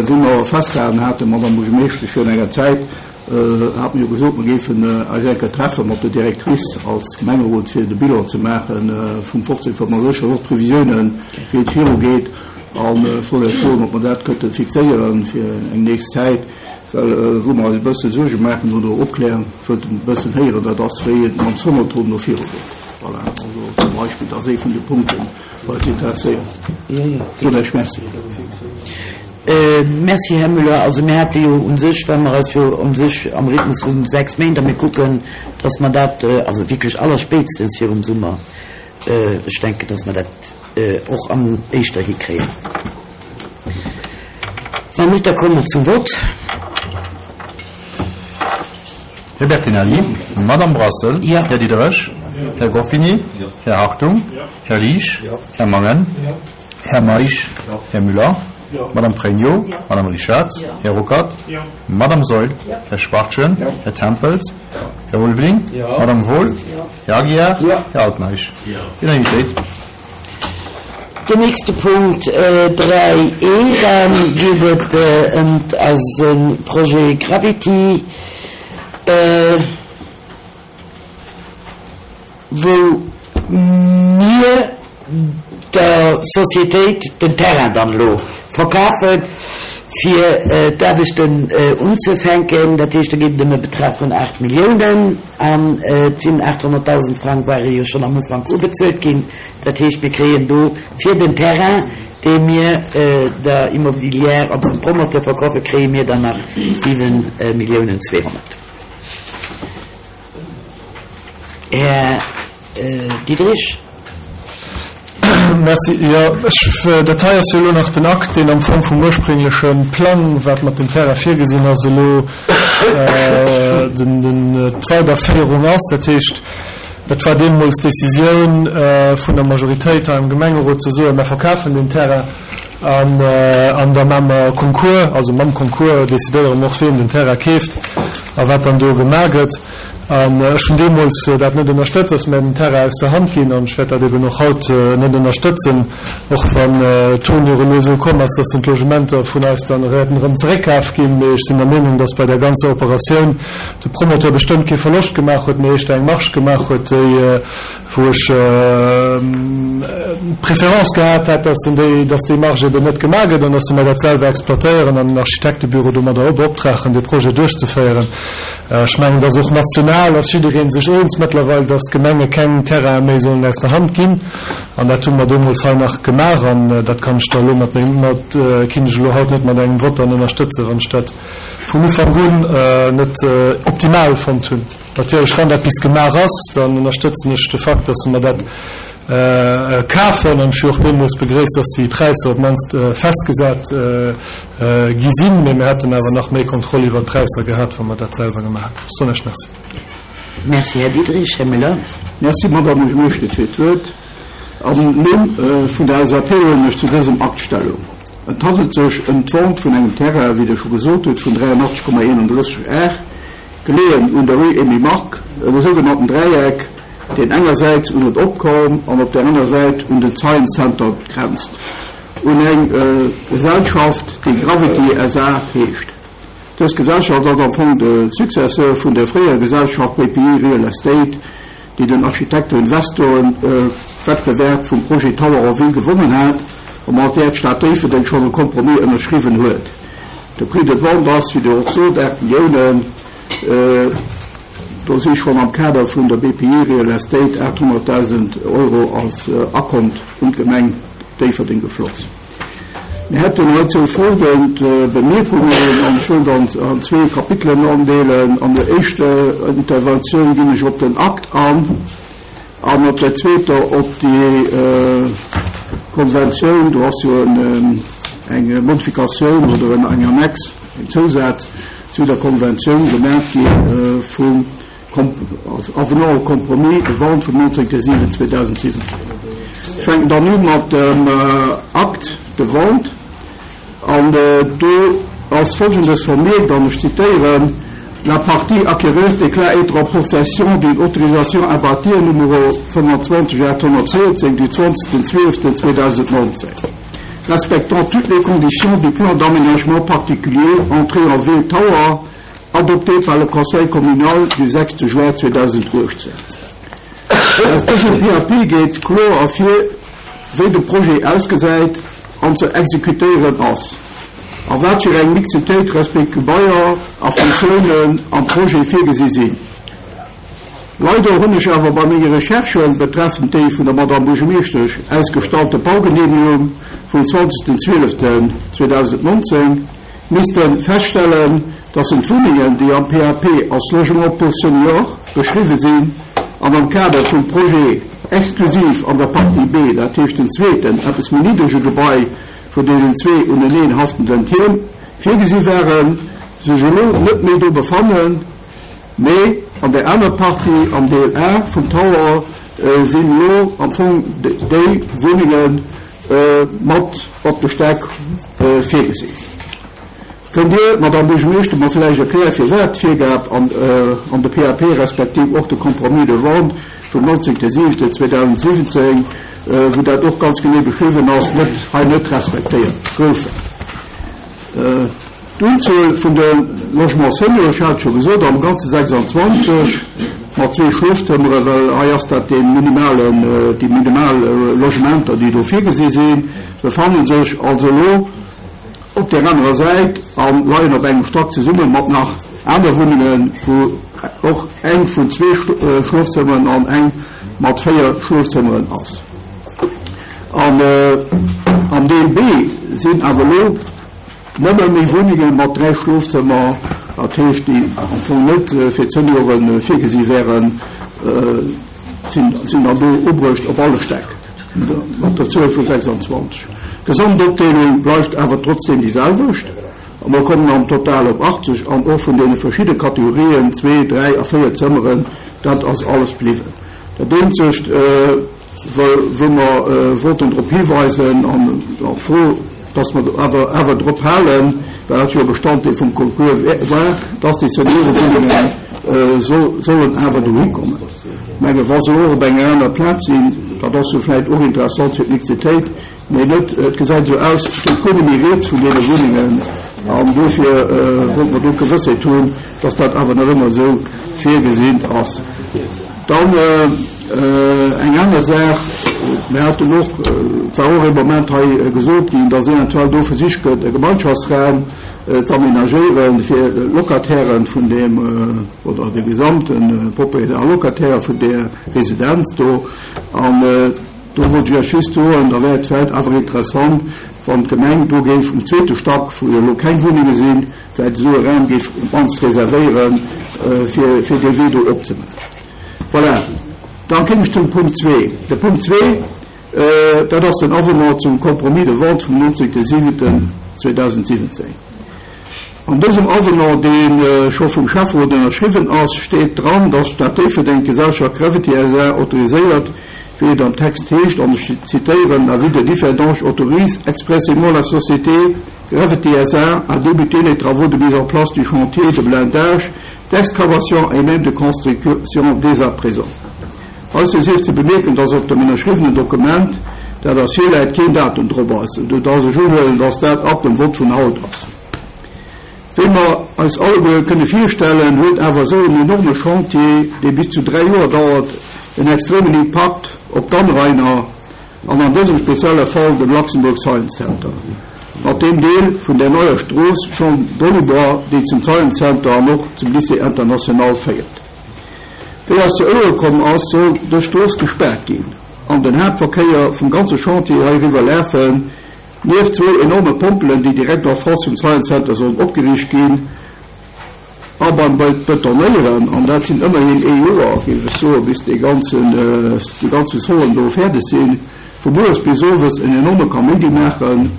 wéi mer festgehalen haten, Madamm Buergermeeschtesch, virun enger Zäit, Hate mir jo gesot, mer géifen eis eng Kéier treffe mat der Directrice als Gemengerot, fir de Bilan ze maache vum 1535 an och d'Previsiounen, wéi et virugeet. An ech wollt Iech froen, ob mer dat kënnte fixéiere fir eng nächst Zäit. Well wou mer eis e bësse Suerge maachen oder opklären wëllten e bëssen héieren, dat ass, wéi et mam Sonotron no viru geet. Voilà, also zum Beispill, dat ass ee vun de Punkten, wou eis interesséiert. Soen ech Merci. Merci, Här Müller. Also mir hate jo u sech, well mer eis jo u sech am Rhythmus vu 6 Méint a mir kucken, dass mer dat also wierklech allerspéitstens virum Summer, ech denken, dass mer dat och am éischter hikréien. Wann net, da komme mer zum Vott. Här Bertinelli, Madame Brassel, Här Diderich, Här Goffini, Här Hartung, Här Liesch, Här Mangen, Här Meisch, Här Müller, Madame Pregno, Madame Richarz, Här Ruckert, Madame Saeul, Här Schwachtgen, Här Tempels, Här Ulveling, Madame Wohl, Här Aguiar, Här Altmeisch. Unanimitéit. Den nächste Punkt 3 e, da geet et ëm eise Projet Gravity, wou mir der Sociétéit den Terrain dann elo verkafen, fir d'Aarbechten unzefänken. Dat heescht, do geet et ëm e Betrag vun 8 Milliounen. An et sinn 800.000 Frang ware jo schonn am Ufank ubezuelt ginn. Dat heescht, mir kréien do fir den Terrain, dee mir der Immobilière, also dem Promoteur verkaufen, kréie mir dann nach 7 Milliounen 200. Här Diderich. Merci. Jo, ech, dat hei ass jo elo nach den Akt, deen am Fong vum urspréngleche Plang, wat mat dem Terrain virgesinn ass, elo den, den, d'Weiderféierung ass. Dat heescht, et war deemools d'Décisioun vun der Majoritéit hei am Gemengerot ze soen, Mer verkafen deen Terrain an, an da maache mer Concours, also mam Concours décidéiere mer och, wien den Terrain keeft a wat dann do gemaach gëtt. An ech hunn deemools dat net ënnerstëtzt, dass mir den Terrain aus der Hand ginn. An ech wäert dat eben och haut net ënnerstëtzen, och wann d'Tournure elo esou komm ass, dass dann d'Logementer vun eis dann wäerten erëm zeréckkaf ginn. Mee ech sinn der Meenung, dass bei där ganzer Operatioun de Promoteur bestëmmt kee Verloscht gemaach huet, mee éischter eng Marge gemaach huet, déi, wou ech d'Préférence gehat hätt, dass en déi, dass déi Marge eben net gemaach gëtt an dass se mer dat selwer exploitéieren an en Architektebüro domadder beoptragen, dee Projet duerchzeféieren. Ech mengen, dass och national ass jidderee sech eens mëttlerweil, dass d'Gemenge keng Terraine méi sollen aus der Hand ginn. An dat hu mer deemools hei nach gemaach an dat kann ech da elo mat mengem, mat, kinnt ech elo haut net mat engem Vott dann ënnerstëtzen, wann ech dat vun Ufank un net optimal fonnt hunn. Natierlech, wann dat bis gemaach ass, dann ënnerstëtzen ech de Fakt, dass mer dat kafen. An ech hu och deemools begréisst, dass déi Präisser op d'mannst festgesat gi sinn. Mee mir hätten awer nach méi Kontroll iwwert d'Präisser gehat, wa mer dat selwer gemaach hätten. Ech soen Iech Merci. Merci, Här Diderich. Här Müller. Merci, Madamm Buergermeeschtesch, fir d'Wuert. Am Numm vun der LSAP huelen ech zu dësem Akt Stellung. Et handelt sech ëm d'Vente vun engem Terrain, wéi Der scho gesot hutt, vun 83,31 Ar, Geleeën un der Rue Emile Mark, e sougenannten Dräieck, deen engersäits un den Opkorn an op där aner Säit un den Science Center grenzt, un eng Gesellschaft, déi Gravity SA heescht. Dës Gesellschaft ass am Fong de Successeur vun der fréierer Gesellschaft BPI Real Estate, déi den Architekten-Investoren-Wettbewerb vum Projet Tower en Ville gewonnen hat a mat där d'Stad Déifferdeng schonn e Compromis ënnerschriwwen huet. De Prix de vente ass, wéi Der och sot, 8 Milliounen. Do si schonn am Kader vun der BPI Real Estate 800.000 Euro als Akont un d'Gemeng Déifferdeng gefloss. Mir hätten heizou folgend Bemierkungen, an ech wëll dann an zwee Kapitelen andeelen. An der éischter Interventioun ginn ech op den Akt an. An op der zweeter op déi Konventioun, do ass jo eng Modifikatioun oder eng Annex, en Zousaz zu der Konventioun gemaach gi vum Avenant au compromis de vente vum 19.07.2017. Ech fänken dann u mat dem Acte de vente. An do ass Folgendes vermierkt, an ech zitéieren, La partie acquéreuse déclare être en possession d'une autorisation à bâtir numéro 25 814 du 20.12.2019, respectant toutes les conditions du plan d'aménagement particulier entré en ville Tower, adopté par le Conseil communal du 6 juin 2018. Aus dësem PAP geet kloer ervir, wéi de Projet ausgesäit an ze exekutéieren ass. A wat fir eng Mixitéit resp. Gebaier a Funktiounen am Projet virgesi sinn. Leider hunn ech awer bei menge Recherchen betreffend déi vun der Madame Buergermeeschtesch ausgestallte Baugenehmigung vum 20.12.2019 misste feststellen, dass en d'Wunnengen, déi am PAP als Logement pour seniors beschriwwe sinn an am Kader vum Projet exklusiv an der Partie B, dat heescht den zweeten, eppes méi niddrege Gebai vun deenen zwee uneneen haftenden Tierm, virgesi waren, sech elo net méi do befannen, mee an där aner Partie, am Deel A vum Tower, sinn elo am Fong déi Wunnenge mat op de Stäck virgesinn. Kënnt Dir, Madamm Buergermeeschter, mer vläicht erklären, firwat d'Virgab an de PAP respektiv och de Compromis de vente vum 19.07.2017, wou dat och ganz genee beschriwwen ass, net hei net respektéiert goufen? D'Unzuel vun de Logements seniors, ech hat et scho gesot, am Ganze 26, mat zwee Schlofzëmmere, well hei ass dat dee minimalen, déi minimal Logementer, déi do virgesi sinn, befanne sech also elo op där anerer Säit a leien op engem Stack zesumme mat nach aner Wunnengen, wou och eng vun zwee Schlofzëmmeren an eng mat véier Schlofzëmmeren ass. An am Deel B sinn awer elo nëmme méi Wunnenge mat dräi Schlofzëmmer, dat heescht, déi am Fong net fir d'Seniore virgesi wären, sinn dann do ubruecht op alle Stäck mat der Zuel vu 26. D'Gesamtopdeelung bleift awer trotzdeem déi selwecht a mer kommen am Total op 80 an och vun deene verschidde Kategorien, zwee, dräi a véier Zëmmeren, dat ass alles bliwwen. Dat eenzegt, wou mer wollten drop hiweisen an och fro, dass mer awer awer drop halen, well dat jo e Bestanddeel vum Concours war, dass déi Seniorewunnenge sollen awer dohi kommen. Ech menge wa se och op enger aner Plaz sinn, dat ass jo vläicht och interessant fir d'Mixitéit, mee net, et gesäit esou aus, et geet guer net méi rieds vun deene Wunnengen an dofir wollte mer do d'Gewëssheet hunn, dass dat awer nach ëmmer esou virgesinn ass. Dann eng aner Saach, Mir haten och, et war och ee Moment hei gesot ginn, dass eventuell do versicht gëtt, e Gemeinschaftsraum ze aménagéieren, fir d'Locatairen vun deem, oder de gesamte Propriétaire a Locataire vun där Residenz do. An do wollt ech Iech just soen, da wär et vläicht awer interessant, wann d'Gemeng do géif um zweete Stack, wou jo elo keng Wunnenge sinn, vläicht esou e Raum géif op d'mannst reservéieren, fir dee Wee do opzemaachen. Voilà, dann kéim ech zum Punkt zwee. De Punkt zwee, dat ass den Avenant zum Compromis de vente vum 19.07.2017. An dësem Avenant, dee scho vum Schäfferot ënnerschriwwen ass, steet dran, dass d'Stad Déifferdeng d'Gesellschaft Gravity SA autoriséiert, wéi et am Text heescht, an ech zitieren, La ville de Differdange autorise expressément la société Gravity SA à débuter les travaux de mise en place du chantier de blindage, d'excavation et même de construction dès à présent. Heizou sief ze bemierken, dass op dem ënnerschriwwenen Dokument, dat eis virläit, keen Datum drop ass, esou dass ech unhuelen, dass dat ab dem Vott vun haut ass. Wéi mer eis alleguer kënne virstellen, huet awer esou en enorme Chantier, dee bis zu 3 Joer dauert, en extremen Impakt op d'Anrainer an an dësem spezielle Fall dem Luxembourg Science Center. Mat deem Deel vun der neier Strooss Jean Dolibois, déi zum Science Center an och zum Lycée International féiert. Wéi eis zu Ouere komm ass, soll dës Strooss gespaart ginn an den Haaptverkéier vum ganze Chantier heiriwwer lafen. Nieft zwou enorme Pompelen, déi direkt en face vum Science Center sollen opgeriicht ginn a beim Betonéieren, an dat sinn ëmmerhin ee Joer, géif ech soen, bis dee ganzen, déi ganze Zonen do fäerdeg sinn, vu mueres bis owes en enorme Kaméidi maachen,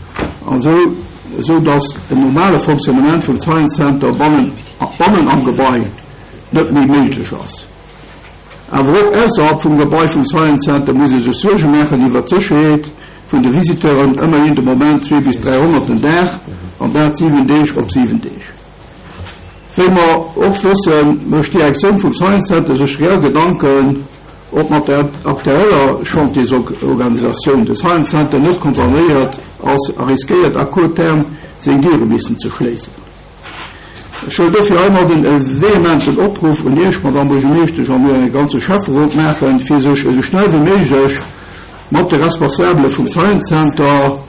an esou, esou dass en normale Fonctionnement vum Science Center bannen, bannen am Gebai net méi méiglech ass. Awer och ausserhalb vum Gebai vum Science Center muss ee sech Suerge maachen iwwert d'Sécherheet vun de Visiteuren, ëmmerhin de Moment 2 bis 300 den Dag, an dat 7 Deeg op 7 Deeg. Wéi mer och wëssen, mécht d'Direktioun vum Science Center sech reell Gedanken, ob mat der aktueller Chantiersorganisatioun de Science Center net condamnéiert ass a riskéiert à court terme seng Diere missen ze schléissen. Ech wëll dofir heimadden e vehementen Opruff un Iech, Madamm Buergermeeschtesch, an un de ganze Schäfferot maachen, fir sech esou schnell wéi méiglech mat de Responsabele vum Science Center.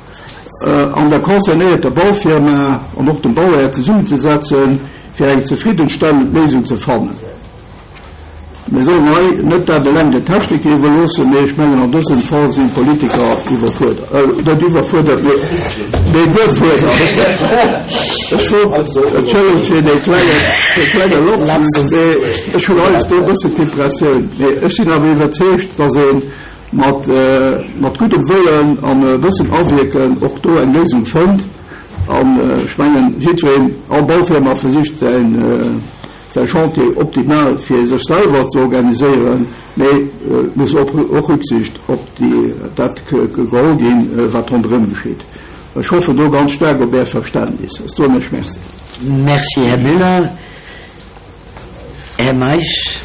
an der concernéierter Baufirma an och dem Bauhär zesummenzesetzen, fir eng zefriddenstellend Léisung ze fannen. Mir sollen hei net dat eleng den Techniker iwwerloossen, mee ech mengen an dësem Fall sinn d'Politiker iwwerfuerdert, net iwwerfuerdert, mee gefuerdert. Ech wollt, entschëllegt fir dee klenge, dee klenge Lapsus, mee ech hunn heiansdo e bëssen d'Impressioun, mee ech sinn awer iwwerzeegt, dass ee mat, mat guddem Wëllen an e bëssen Awierken och do eng Léisung fënnt. An ech mengen, jiddwereen, all Baufirma versicht säin, säi Chantier optimal fir sech selwer ze organiséieren, mee et muss och Rücksicht op dat geholl ginn, wat ronderëm geschitt. Ech hoffen do ganz staark op Är Verständnis. Ech soen Iech Merci. Merci, Här Müller. Här Meisch.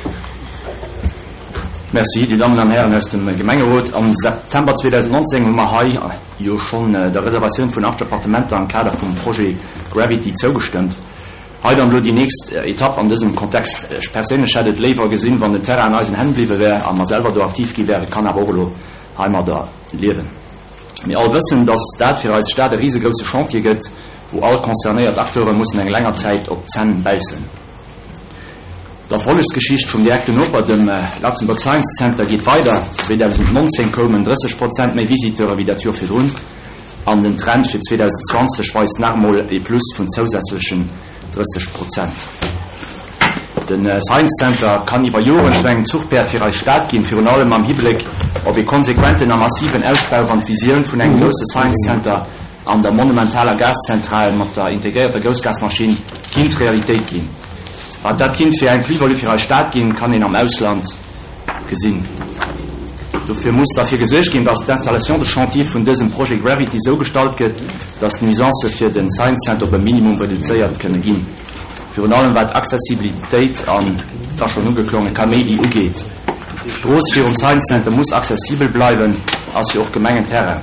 Merci, Dir Dammen an Hären aus dem Gemengerot. Am September 2019 hu mer hei jo schonn der Reservatioun vun 80 Appartementer am Kader vum Projet Gravity zougestëmmt. Hei dann elo déi nächst Etapp an dësem Kontext. Ech perséinlech hätt et léiwer gesinn, wann den Terrain an eisen Hänn bliwwe wär a mer selwer do aktiv gi wären. Kann awer och elo heimadder liewen. Mir all wëssen, dass dat fir eis Stad e risegrousse Chantier gëtt, wou all concernéiert Acteure mussen eng länger Zäit op d'Zänn bäissen. D'Erfollegsgeschicht vum direkten Noper, dem Luxembourg Science Center, geet weider. 2019 koumen 30 Prozent méi Visiteure wéi dat Joer virdrun. An den Trend fir 2020 weist nach emol e Plus vun zousätzlechen 30 Prozent. De Science Center kann iwwer Joren zu engem Zuchpäerd fir eis Stad ginn, virun allem am Hibléck op e konsequenten a massiven Ausbau, wann d'Visioun vun engem grousse Science Center an der monumentaler Gaszentral mat der integréierter Groussgasmaschinn kinnt Realitéit ginn. Wat dat kinnt fir eng Plus-value fir eis Stad ginn, kann een am Ausland gesinn. Dofir muss derfir gesuergt ginn, dass d'Installation de chantier vun dësem Projet Gravity esou gestalt gëtt, dass d'Nuisancë fir de Science Center op e Minimum reduzéiert kënne ginn, virun allem wat Accessibilitéit an, et ass schonn ugeklongen, Kaméidi ugeet. D'Strooss virum Science Center muss accessibel bleiwen, ass jo och Gemengenterrain.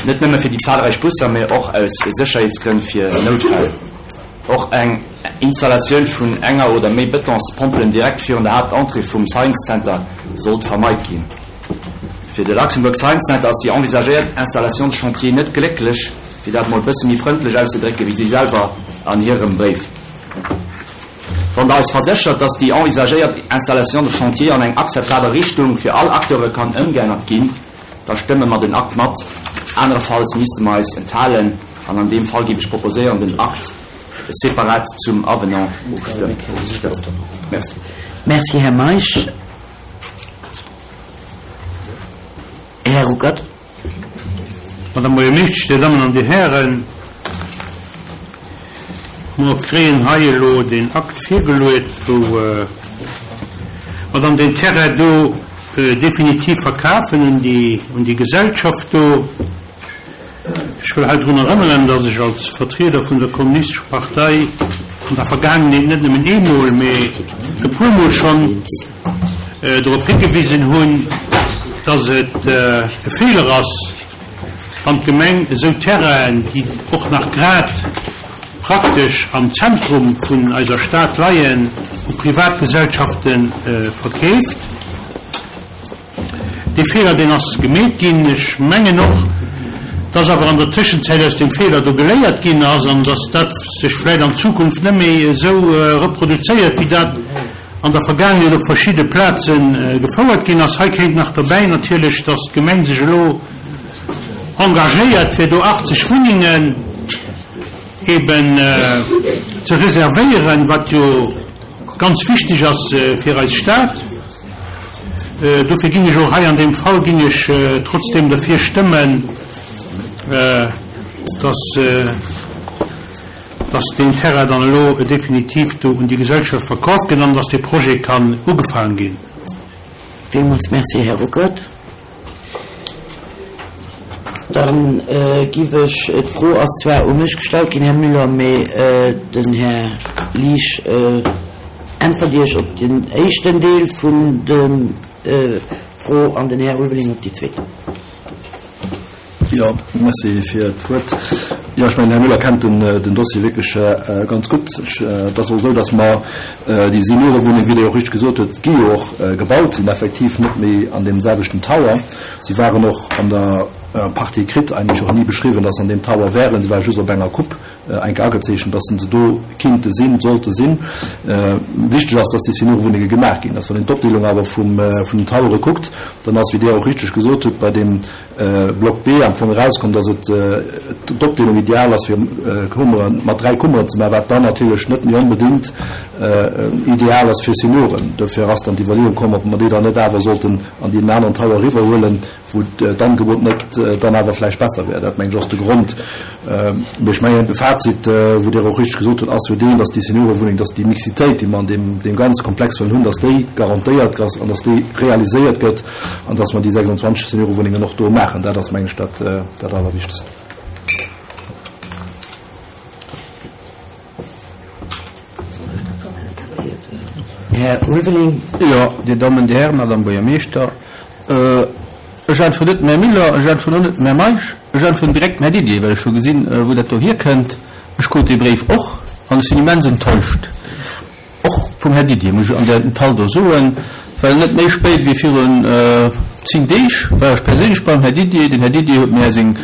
Net nëmme fir déi zahlreich Busser, mä och aus Sécherheetsgrënn fir Noutfäll. Och eng Installatioun vun enger oder méi Betonspompelen direkt virun der Haaptentrée vum Science Center sollt vermeit ginn. Fir de Luxembourg Science Center ass déi envisagéiert Installation de chantier net glécklech, fir dat mol bësse méi frëndlech auszedrécken, wéi si selwer an hirem Bréif. Wann Der eis verséchert, dass déi envisagéiert Installation de chantier an eng akzeptabel Richtung fir all Acteure kann ëmgeännert ginn, Da stëmme mer den Akt mat, anerefalls misste mer eis enthalen. An an deem Fall géif ech proposéieren, den Akt separat zum Avenant ofstëmmen. Merci. Merci, Här Meisch. Här Ruckert. Madame Buergermeeschtesch, Dir Dammen an Dir Hären, mer kréien hei elo deen Akt virgeluet, wou mer dann deen Terrain do definitiv verkafen un déi, un déi Gesellschaft do. Ech wëll hei drun erënneren, dass ech als Vertrieder vun der Kommunistescher Partei an der Vergaangenheet net nëmmen eemol, mee e puermol schonn drop higewisen hunn, dass et e Feeler ass, wann d'Gemeng esou Terrainen, déi och nach grad praktesch am Zentrum vun eiser Stad leien, u Privatgesellschafte verkeeft. Dee Feeler, deen ass gemeet ginn. Ech mengen och, dass awer an der Tëschenzäit aus deem Feeler do geléiert ginn ass an dass dat sech vläicht an Zukunft net méi esou reproduzéiert, wéi dat an der Vergaangenheet op verschidde Plaze gefouert ginn ass. Hei kéint nach dobäi natierlech, dass d'Gemeng sech elo engagéiert, fir do 80 Wunnengen eben ze reservéieren, wat jo ganz wichteg ass fir eis Stad. Dofir ginn ech och hei an deem Fall ginn ech trotzdem derfir stëmmen, dass, dass deen Terrain dann elo definitiv do un déi Gesellschaft verkaaft gëtt an dass dee Projet kann ugefaangen ginn. Villmools Merci, Här Ruckert. Da giff ech, d'Fro ass zwar u mech gestallt ginn, Här Müller, mee den Här Liesch äntwert Iech op den éischten Deel vun der Fro an den Här Ulveling op déi zweet. Jo, merci fir d'Wuert. Jo, ech mengen, den Här Müller kennt den Dossier wierklech ganz gutt. Et ass och esou, datt mer déi Seniorewunneng, wéi Der jo och richteg gesot hutt, gi jo och gebaut, sinn effektiv net méi an deem selwechten Tower. Si waren och an der. En partie kritt, eigentlech och ni beschriwwen, dass se an deem Tower wären. Se ware just op enger Coupe enke agezeechent, dass se do kinnte sinn, sollte sinn. Wichteg ass, dass déi Seniorewunnenge gemaach ginn. Dass, wann een d'Opdeelung awer vum, vun den Towere kuckt, dann ass, wéi Dir och richteg gesot hutt, bei deem Block B am Fong erauskomm, dass et d'Opdeelung ideal ass, fir Kummeren, mat 3 Kummeren ze maachen, wat dann natierlech net méi onbedéngt ideal ass fir Senioren. Dofir ass dann d'Iwwerleeung komm, ob mer déi dann net awer sollten an deen aneren Tower eriwwerhuelen, wou d'Angebot net dann awer vläicht besser wär. Dat, mengen ech, ass de Grond. Mee ech mengen, de Fazit, wou Dir och richteg gesot hutt, ass jo deen, dass déi Seniorewunneng, dass déi Mixitéit, déi mer an deem, deem ganze Komplex wëllen hunn, dass déi garantéiert ass an dass déi realiséiert gëtt an dass mer déi 26 Seniorewunnengen och do maachen. Dat ass, mengen ech, dat, dat Allerwichtegst. Här Ulveling. Jo, Dir Dammen, Dir Hären, Madame Buergermeeschter, ech äntweren net dem Här Müller, ech äntweren och net dem Här Meisch, ech äntweren direkt dem Här Didier, well ech hu gesinn, wou dat do hierkënnt. Ech krut dee Bréif och an ech sinn immens enttäuscht. Och vum Här Didier, muss ech an deem Fall do soen, well net méi spéit wéi virun 10 Deeg war ech perséinlech beim Här Didier. Den Här Didier huet mär seng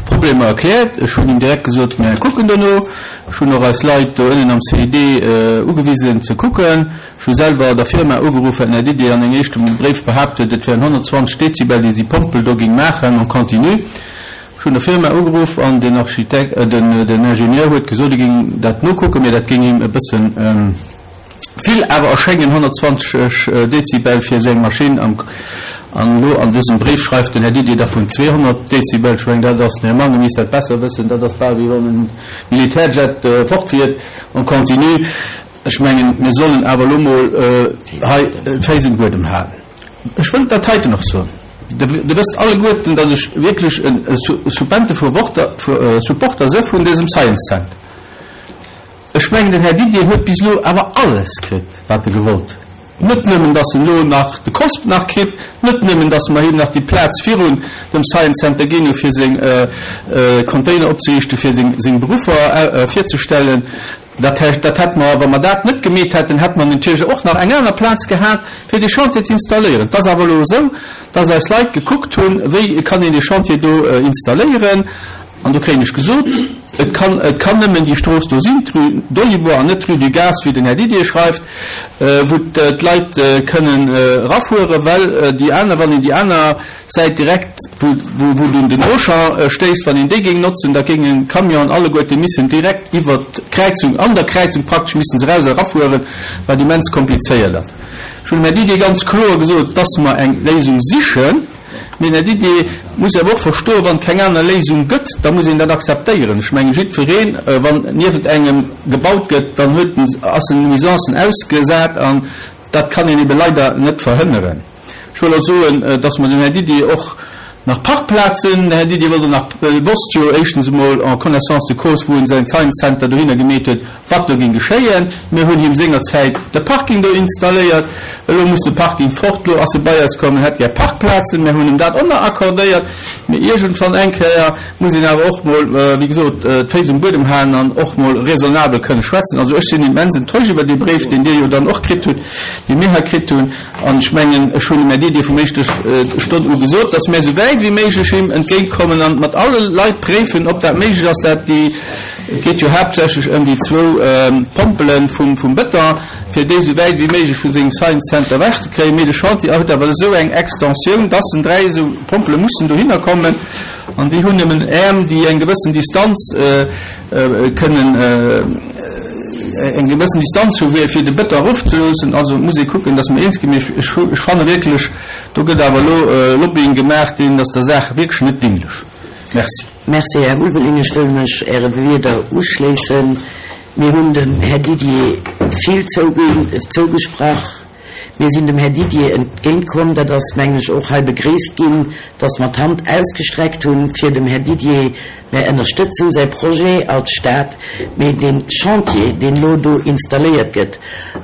Problemer erkläert. Ech hunn him direkt gesot, mär kucken dono. Ech hunn och eis Leit do ënnen am CID ugewisen ze kucken. Ech hu selwer der Firma ugeruff, well den Här Didier an engem éischte Bréif behaapt huet, et wären 120 Dezibel, déi déi Pompel do géing maachen en continu. Ech hunn der Firma ugeruff an den Architekt, den Ingenieur huet gesot, e géing dat nokucken, mee dat géing him e bëssen vill awer erschéngen, 120 Dezibel fir esou eng Maschinn. An elo an dësem Bréif schreift den Här Didier da vun 200 Dezibel. Ech mengen, dat ass, den Här Mangen misst dat besser wëssen, dat ass bal wéi wann e Militärjet fortfiert en continu. Ech mengen, mir sollen awer elo mol hei d'Féiss um Buedem halen. Ech wëll dat heiten och soen. Der wësst alleguerten, datt ech wierklech e Supporter se vun dësem Science Center. Ech mengen, den Här Didier huet bis elo awer alles kritt, wat e gewollt huet. Net nëmmen, datt en elo nach de COSP nach kritt, net nëmmen, datt mer him nach déi Plaz virun dem Science Center ginn hu fir seng Container opzeriichten, fir seng Beruffer virzestellen, Dat heescht, dat hätte mer, wa mer dat net gemeet hätten, hätte mer natierlech och nach eng aner Plaz gehat, fir dee Chantier ze installéieren. Et ass awer elo esou, dass eis Leit gekuckt hunn, wéi kann een dee Chantier do installéieren. An do kréien ech gesot, et kann, et kann nëmmen déi Strooss do sinn, d'Rue Dolibois an net d'Rue du Gaz, wéi den Här Didier schreift, wou d'Leit kënnen erafueren, well déi aner, wann een déi aner Säit direkt wou wou dunn den Auchan stéisst, wann een déi géing notzen, da géingen d'Camionen alleguerte missen direkt iwwert d'Kräizung, an der Kräizung praktesch missten se eraus a erafueren, wat immens komplizéiert ass. Ech hunn dem Här Didier ganz kloer gesot, dass mer eng Léisung sichen, mee den Här Didier muss awer och verstoen, wann et keng aner Léisung gëtt, da muss een dat akzeptéieren. Ech mengen, jiddwereen, wann niewent engem gebaut gëtt, dann huet en, ass en Nuisancen ausgesat an dat kann een ebe leider net verhënneren. Ech wëll och soen, dass mer dem Här Didier och nach Parkplazen, den Här Didier wollt och nach, wosst jo éischtens emol en connaissance de cause, wou en säin Science Center dohinner gemeet huet, wat do géing geschéien. Mir hunn him sengerzäit de Parking do installéiert. Elo muss de Parking fort. Elo ass e bei eis komm, en hätt gär Parkplazen. Mir hunn him dat och nach accordéiert. Mee iergendwann eng Kéier muss een awer och mol, wéi gesot, d'Féiss um Buedem halen an och mol raisonnabel kënne schwätzen. Also ech sinn immens enttäuscht iwwer dee Bréif, deen Dir jo dann och kritt hutt, dee mir hei kritt hunn. An ech mengen, ech hunn dem Här Didier vum éischte Stonn u gesot, dass mir esou wäit wéi méiglech him entgéintkommen an mat alle Leit préifen, ob dat méiglech ass, dat déi, et geet jo haaptsächlech ëm déi zwou Pompele vum Bëton, fir déi esou wäit wéi méiglech vu sengem Science Center ewechzekréien. Mee de Chantier huet awer esou eng Extensioun, dass en 3 esou Pompele mussen dohinner kommen an déi hunn nëmmen Äerm, déi eng gewëssen Distanz kënnen eng gewëssen Distanz hu fir de Bëton erofzeloossen. Also et muss ee kucken, datt mer eens ginn. Mee ech, ech fanne wierklech, do gëtt awer elo Lobbying gemaach, deen ass der Saach wierklech net dinglech. Merci. Merci, Här Ulveling. Ech wëll mech Äre Wierder uschléissen. Mir hunn dem Här Didier vill zougesprach. Mir sinn dem Här Didier entgéintkomm. Dat ass, mengen ech, och hei begréisst ginn, dass mer d'Hand ausgestreckt hunn, fir dem Här Didier, mir ënnerstëtzen säi Projet als Stad, mee dee Chantier, deen elo do installéiert gëtt,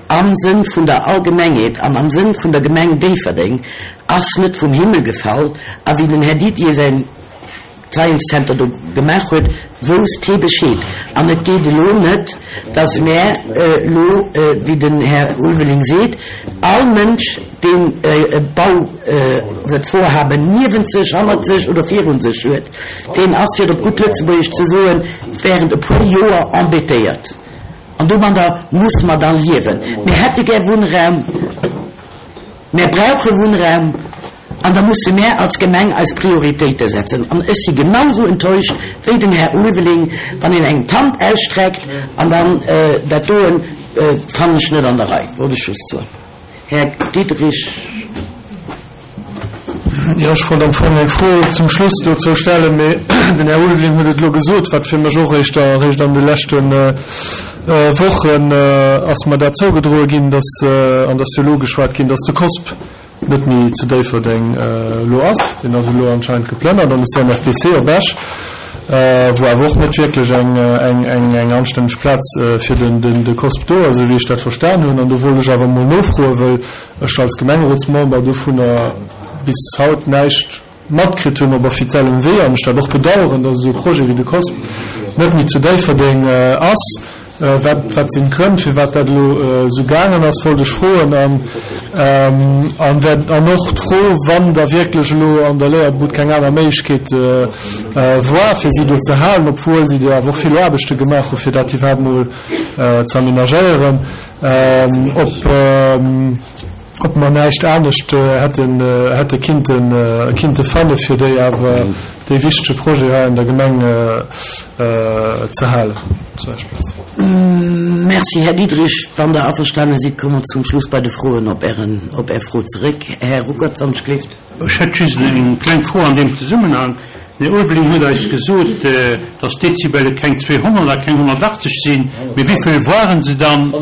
am Sënn vun der Allgemengheet an am Sënn vun der Gemeng Déifferdeng, ass net vum Himmel gefall. A wéi den Här Didier säin Science Center do gemaach huet, wousst hee Bescheed. An et geet elo net, dass mär elo, wéi den Här Ulveling seet, all Mënsch, deen e Bauvorhaben niewent sech, hannert sech oder virun sech huet, deen ass, fir et op gutt Lëtzebuergesch ze soen, während e puer Joer embêtéiert. An domadder musse mer da liewen. Mir hätte gär Wunnraum, mär brauche Wunnraum an da musse mär als Gemeng eis Prioritéite setzen. An ech si genausou enttäuscht wéi den Här Ulveling, wann een engem d'Hand ausstreckt an dann dat doen, fannen ech net an der Rei, wollt ech just soen. Här Diderich. Jo, ech wollt am Fong eng Fro zum Schluss dozou stellen, mee den Här Ulveling huet et elo gesot, wat fir mech och éischter eréischt an de leschte Wochen ass mer dat zougedroe ginn, dass, an dass jo elo geschwat ginn, dass de COSP net méi zu Déifferdeng elo ass. Deen ass elo anscheinend geplënnert an de CNFPC op Esch, wou awer och net wierklech eng anstänneg Plaz fir de COSP do ass, esou wéi ech dat verstan hunn. An do wollt ech awer emol nofroen, wëll ech als Gemengerotsmember dovunner bis haut näischt matkritt hunn op offiziellem Wee an ech dat och bedauern, dass esou e Projet wéi de COSP net méi zu Déifferdeng ass. Wat, wat sinn d'Grënn, firwat dat elo esou gaangen ass, wollt ech froen. An, an wär, an och d'Fro, wann da wierklech elo an der Léierbud keng aner Méiglechkeet war, fir si do ze halen, obwuel si do awer och vill Aarbechte gemaach hu fir dat iwwerhaapt mol ze amenagéieren, ob, ob mer näischt anescht hätten, hätte kinnten, kinnte fanne fir déi awer dee wichtege Projet hei an der Gemeng ze halen. Merci, Här Diderich. Wann Der averstane sidd, komme mer zum Schluss bei de Froen op Ären, op Är Fro zeréck. Här Ruckert, wann ech gleeft. Ech hätt just eng kleng Fro an deem Zesummenhang. Den Här Ulveling huet eis gesot, dass d'Dezibele keng 200 a keng 180 sinn, mee wéivill waren se dann?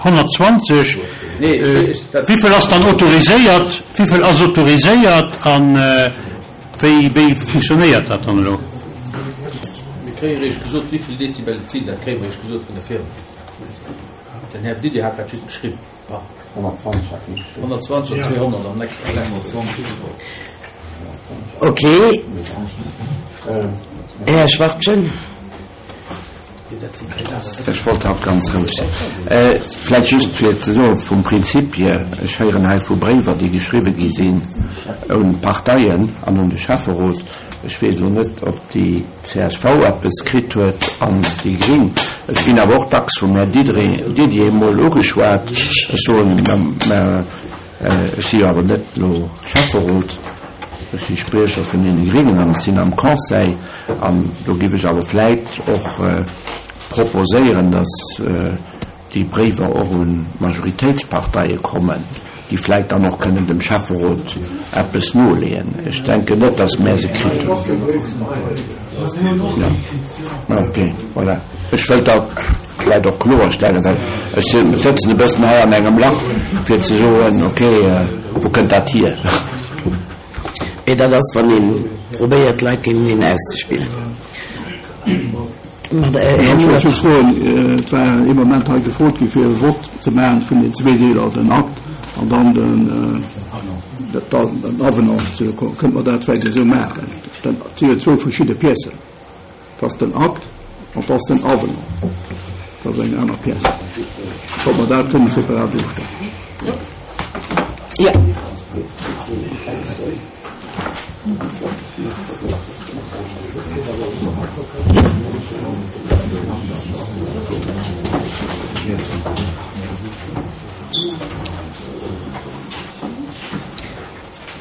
120. Wéivill ass dann autoriséiert? Wéivill ass autoriséiert a wéi, wéi funktionéiert dat dann elo? Mir kréie eréischt gesot, wéivill Dezibel et sinn. Dat kréie mer eréischt gesot vun der Firma. Den Här Didier hat dat just geschriwwen. 120 hat hie geschriwwen. 120 an 200 am nächsten 120. Ok. Här Schwachtgen. Ech wollt haut ganz roueg sinn. Vläicht just fir ze soen, vum Prinzip hier, ech héieren hei vu Bréiwer, déi geschriwwe gi sinn un d'Parteien an un de Schäfferot. Ech weess elo net, ob déi csv eppes kritt huet an déi Gring. Ech ginn awer och dacks vum Här Didier emol ugeschwat. Ech soen, mä ech si jo awer net elo Schäfferot, ech si Spriecher vun deene Gringen an ech sinn am Conseil. An do géif ech awer vläit och proposéieren, datt déi Bréiwer och un d'Majoritéitsparteie kommen, déi vläit dann och kënnen dem Schäfferot eppes noleeën. Ech denken net, datt mär se kritt hunn. Jo, ok, voilà. Ech wëllt dat vläit och kloerstellen, well ech sëtzen e bëssen hei an engem Lach, fir ze soen, ok, wou kënnt dat hier? Mee dat ass, wann ee probéiert, d'Leit géinteneen auszespillen. Här Muller. Ech wollt just soen, et war ee Moment hei gefrot gi fir e Vott ze maachen vun den zwee Deeler, den Akt an dann den Avenant. Kënnte mer dat vläicht esou maachen? Dat si jo zwou verschidde Piècen. Dat ass den Akt an dat ass den Avenant. Dat ass eng aner Pièce. Ob mer dat kënnen separat ofstëmmen? Jo.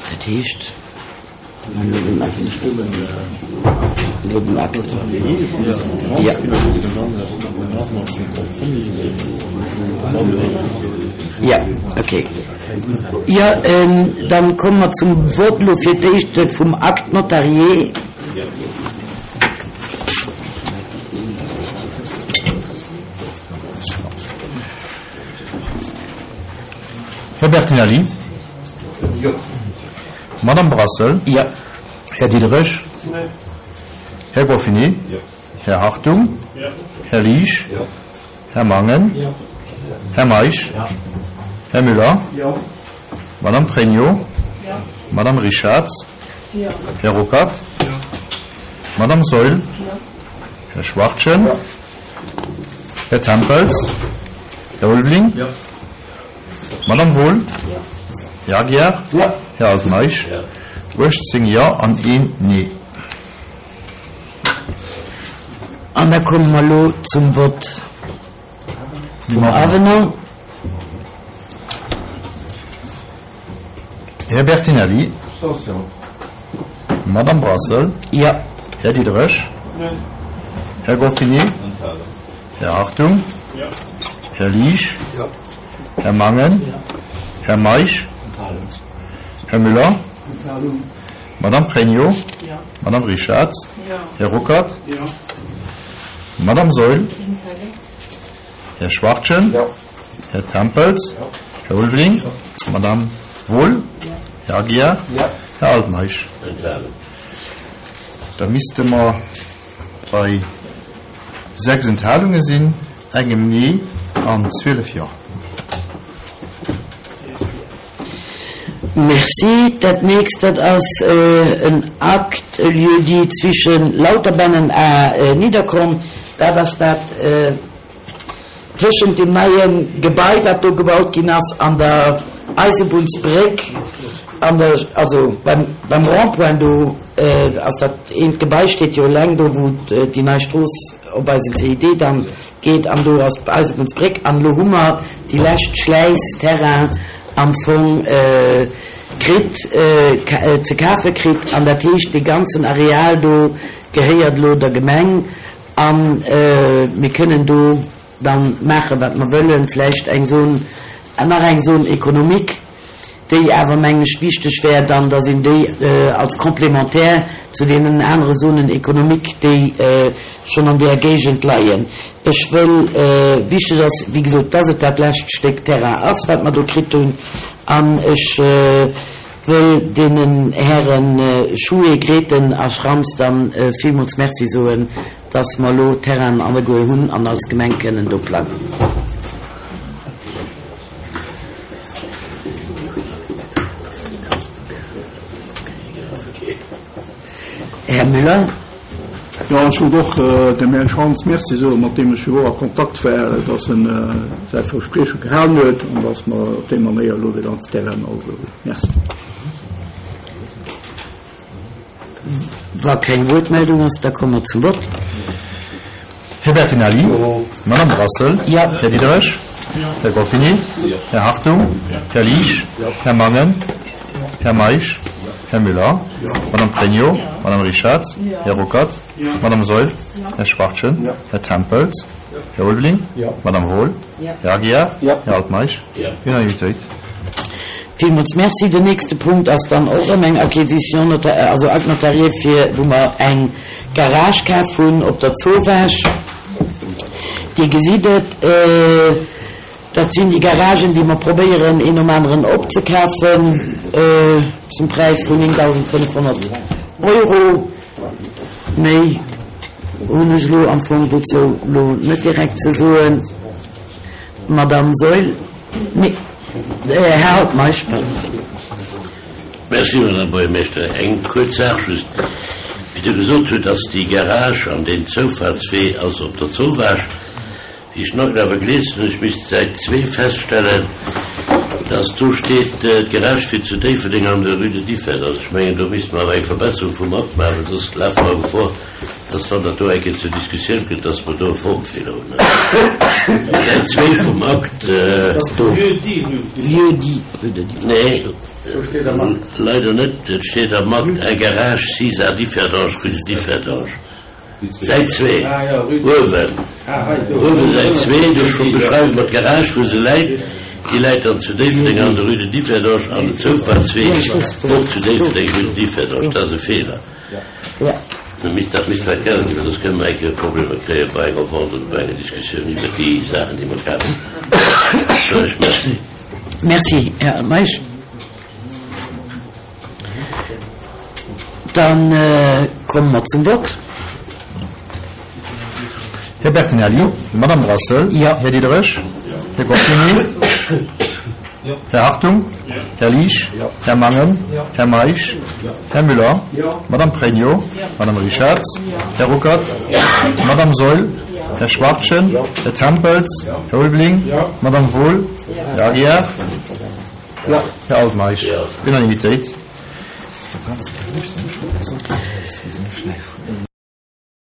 Dat heescht, mer elo den Akt. Elo den Akt. Jo. Jo, okay. Jo, dann komme mer zum Vott elo fir d'éischt vum Acte notarié. Här Bertinelli? Jo. Madame Brassel? Jo. Här Diderich? Här Goffini? Jo. Här Hartung? Jo. Här Liesch? Jo. Här Mangen? Jo. Här Meisch? Jo. Här Müller? Jo. Madame Pregno? Jo. Madame Richarz? Jo. Här Ruckert? Jo. Madame Saeul? Jo. Här Schwachtgen? Jo. Här Tempels? Här Ulveling? Madame Wohl? Här Aguiar? Här Altmeisch? 18 Jo an een Nee. An da komme mer elo zum Vott vum Avenant. Här Bertinelli? Madame Brassel? Jo. Här Diderich? Här Goffinet? Här Hartung? Här Liesch? Här Mangen? Här Meisch? Här Müller? Madame Pregno? Madame Richarz? Här Ruckert? Madame Saeul? Här Schwachtgen? Här Tempels? Här Ulveling? Madame Wohl? Här Aguiar? Här Altmeisch? Da misste mer bei 6 Enthalunge sinn, engem Nee an 12 Jo. Merci. Dat nächst, dat ass en Akt, e Lieu-dit zwischen Lauterbännen a Nidderkorn. Dat ass dat tëschent deem neie Gebai, wat do gebaut ginn ass, an der Eisebunnsbréck, an der, also beim, beim Rond-point do ass dat eent Gebai steet jo eleng do, wou déi nei Strooss op eisen CID dann geet, an do ass d'Eisebunnsbréck. An elo hu mer déi lescht Schläiss Terrain am Fong kritt, ze kafe kritt, an dat heescht, dee ganzen Areal do gehéiert elo der Gemeng. A mir kënnen do dann maachen, wat mer wëllen, vläicht eng Zone, nach eng Zone économique, déi awer, mengen ech, wichteg wär dann, dass een déi als complémentaire zu deenen anere Zones économiques, déi schonn an där Géigend leien. Ech wëll, wichteg ass, wéi gesot, dass et dat lescht Stéck Terrain ass, wat mer do kritt hunn, an ech wëll deenen Häre Schue, Grethen a Schrantz dann villmools Merci soen, dass mer elo Terrainen alleguer hunn an als Gemeng kënnen do plangen. Här Müller. Jo, ech wollt och dem Här Schrantz Merci soen, mat deem ech jo och a Kontakt war, dass en säi Versprieche gehalen huet an dass mer op déi Manéier elo de ganzen Terrain also hunn. Merci. Wa keng Wuertmeldung ass, da komme mer zum Vott. Här Bertinelli? Madame Brassel? Här Diderich? Här Goffinet? Här Hartung? Här Liesch? Här Mangen? Här Meisch? Här Müller? Madame Pregno? Madame Richarz? Här Ruckert? Madame Saeul? Här Schwachtgen? Här Tempels? Här Ulveling? Madame Wohl? Här Aguiar? Här Altmeisch? Unanimitéit. Villmools Merci. Den nächste Punkt ass dann och erëm eng Acquisition nota-, also Acte notarié fir, wou mer eng Garage kaf hunn op der Zowaasch. Dir gesitt et, dat sinn déi Garagen, déi mer probéieren, een nom aneren opzekafen zum Präis vun 9.500 Euro. Méi hunn ech elo am Fong dozou elo net direkt ze soen. Madamm Saeul, nee, Här Altmeisch, pardon. Merci, Madame Buergermeeschter. Eng kuerz Saach just. Wéi Der gesot hutt, dass déi Garage an deen Zoufahrtswee ass op der Zowaasch. Wéi ech den awer gelies hunn, ech misst Säit zwee feststellen, dass do steet, d'Garage wier zu Déifferdeng an der Rue de Differdange. Ech mengen, do misste mer awer eng Verbesserung vum Akt maachen, well soss lafe mer Gefor, dass wann dat do eng Kéier zur Diskussioun kënnt, dass mer do e Formfeeler hunn. Säit zwee vum Akt. Nee, leider net. Et steet am Akt, Un garage sis à Differdange, rue de Differdange. Säit zwee, uewen, uewe Säit zwee, do beschreiwe mer d'Garage, wou se läit. Déi läit dann zu Déifferdeng an der Rue de Differdange an den Zoufahrtswee och zu Déifferdeng, Rue de Differdange. Dat ass e Feeler. Dat misst vläicht geännert ginn, well soss kënne mer eng Kéier Problemer kréie bei enger Vente oder bei enger Diskussioun iwwert déi Saachen, déi mer kafen. Soen ech Merci. Merci, Här Meisch. Da komme mer zum Vott. Här Bertinelli, Madame Brassel, Här Diderich, Här Goscinny, Här Hartung, Här Liesch, Här Mangen, Här Meisch, Här Müller, Madame Pregno, Madame Richarz, Här Ruckert, Madame Saeul, Här Schwachtgen? Här Tempels? Här Ulveling? Madame Wohl? Här Aguiar? Här Altmeisch? Unanimitéit.